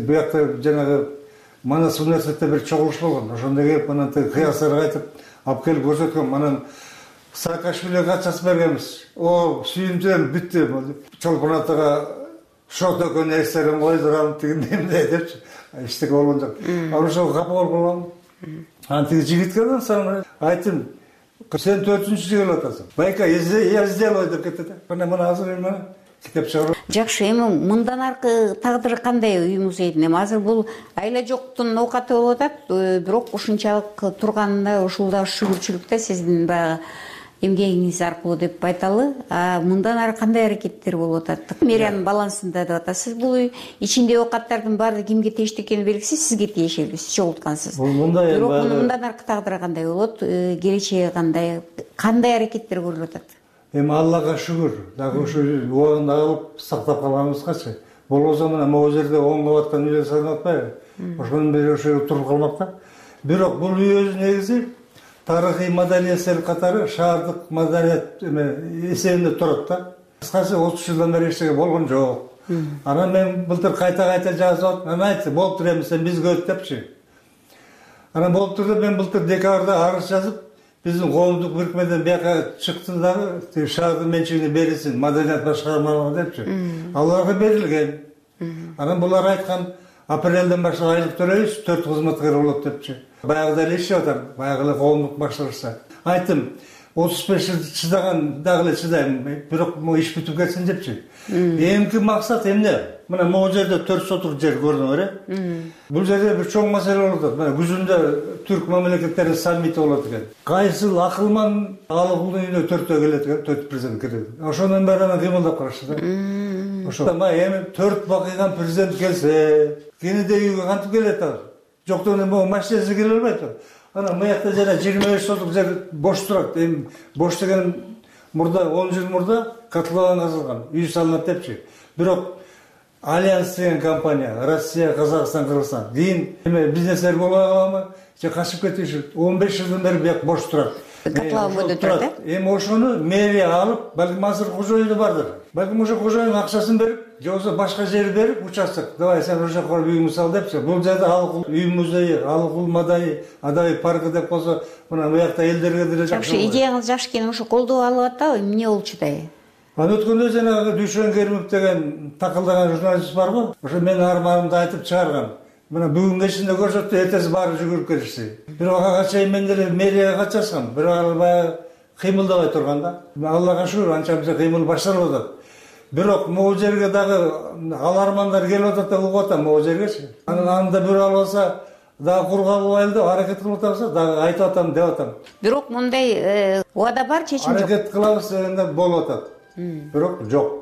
Буякта жанагы Манас университетте бир чогулуш болгон. Ошондо келип анан тиги кыясырга айтып, алып келип көрсөткөн. Анан Саакашвилиге кат жазып бергенбиз. О, сүйүнчүм бүттү. Чолпон атага шот экөөнү эстерин койдурам тигиндей эмне депчи. Эчтеке болгон жок. Анан ошого капа болуп калгам. Анан тиги жигитке соң айттым, сен төртүнчү жыл келип атасың. Байка, я сделаю деп кетти да. Анан мына азыр эми китеп чыгарып. Жакшы, эми мындан аркы тагдыры кандай үй музейдин? Эми азыр бул айла жоктун оокаты болуп атат, бирок ушунчалык турганына ушул да шүгүрчүлүктө сиздин баягы эмгегиңиз аркылуу деп айталы. А мындан ары кандай аракеттер болуп атат? Мэриянын балансында деп атасыз. Бул үй ичинде оокаттардын баары кимге тийиштүү экени белгисиз, сизге тиешелүү, сиз чогулткансыз. Бул мындай эми бирок мындан аркы тагдыры кандай болот? Келечеги кандай? Кандай аракеттер көрүлүп атат? Эми Аллага шүгүр, дагы ушу убагында алып сактап калганыбызгачы. Болбосо мына могу жерде оңдоп аткан үйлөр саналып атпайбы? Ошонун бери ошо туруп калмак да. Бирок бул үй өзү негизи тарыхый маданий эсер катары шаардык маданият эсебинде турат да. Кыскасы отуз жылдан бери эчтеке болгон жок. Анан мен былтыр кайта-кайта жазып атып, мен айттым, болуптур эми сен бизге өт депчи. Анан болуптур деп мен былтыр декабрда арыз жазып, биздин коомдук бирикмеден бияка чыкты дагы, тиги шаардын менчигине берилсин, маданият башкармалыгына депчи. Аларга берилген. Анан булар айткан, апрелден баштап айлык төлөйбүз, төрт кызматкер болот депчи. Баягыда эле иштеп атам, баягы эле коомдук башкарышта. Айттым, отуз беш жыл чыдаган дагы эле чыдайм, бирок могу иш бүтүп кетсин депчи. Эмки максат эмне? Мына могу жерде төрт сотук жер көрүнөбүр э? Бул жерде бир чоң маселе болуп атат. Мына күзүндө түрк мамлекеттеринин саммити болот экен. Кайсыл акылман алакулдун үйүнө төртөө келет экен, төрт президент келет. Ошондон бери анан кыймылдап карашты да. Ошо эми төрт бакыйган президент келсе, кенеде үйгө кантип келет ал? Жоктон эми могу машинасы келе албайт. Анан буякта жана жыйырма беш сотук жер бош турат. Эми бош деген мурда он жыл мурда котлован казылган, үй салынат депчи. Бирок Альянс деген компания, Россия, Казакстан, Кыргызстан кийин эме бизнестер боло каламы, же качып кетиши он беш жылдан бери буяк бош турат. Котлован бойдо турат э? Эми ошону мэрия алып, балким азыр кожоюну бардыр. Балким ошо кожоюн акчасын берип, же болбосо башка жер берип, участок, давай сен ошол жака үйүңдү сал депчи. Бул жерде алакул үй музейи, алакул маданий, адай паркы деп койсо, мына буякта элдерге деле жакшы. Жакшы, идеяңыз жакшы экен, ошо колдоо алып атабы? Эмне болчу да? анан өткөндө жанагы Дүйшөн Керимов деген такылдаган журналист барбы, ошо менин арманымды айтып чыгарган. Мына бүгүн кечинде көрсөттү, эртеси баары жүгүрүп келишти. Бирок ага чейин мен деле мэрияга катышкам, бирок ал баягы кыймылдабай турган да. Аллага шүгүр, анча мынча кыймыл башталып атат. Бирок могу жерге дагы алармандар келип атат да, угуп атам могу жергечи. Анан анда бирөө албаса дагы кургап албайлы деп аракет кылып атабыз, дагы айтып атам деп атам. Бирок мындай убада бар, чечим жок. Аракет кылабыз дегенде болуп атат. Бирок жок.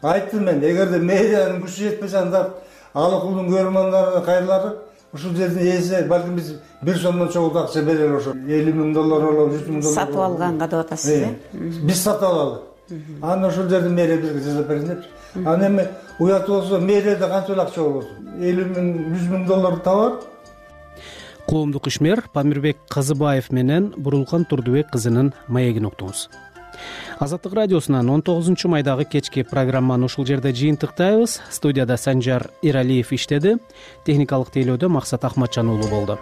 Айттым мен, эгерде мэриянын күчү жетпесе, анда ал окулдун көрөрмандарына кайрылып, ушул жердин ээси балким биз бир сомдон чогуу акча берели, ошо элүү миң доллар болобу, жүз миң доллар сатып алганга деп атасыз э? Биз сатып алалы. Анан ошол жердин мэрия бизге жасап берсин депчи. Анан эми уят болсо мэрияда канча эле акча болбосун, элүү миң, жүз миң доллар табат. Коомдук ишмер Памирбек Казыбаев менен Бурулкан Турдубек кызынын маегин уктуңуз. Азаттык радиосунан он тогузунчу майдагы кечки программаны ушул жерде жыйынтыктайбыз. Студияда Санжар Иралиев иштеди. Техникалык тейлөөдө Максат Ахматжан уулу болду.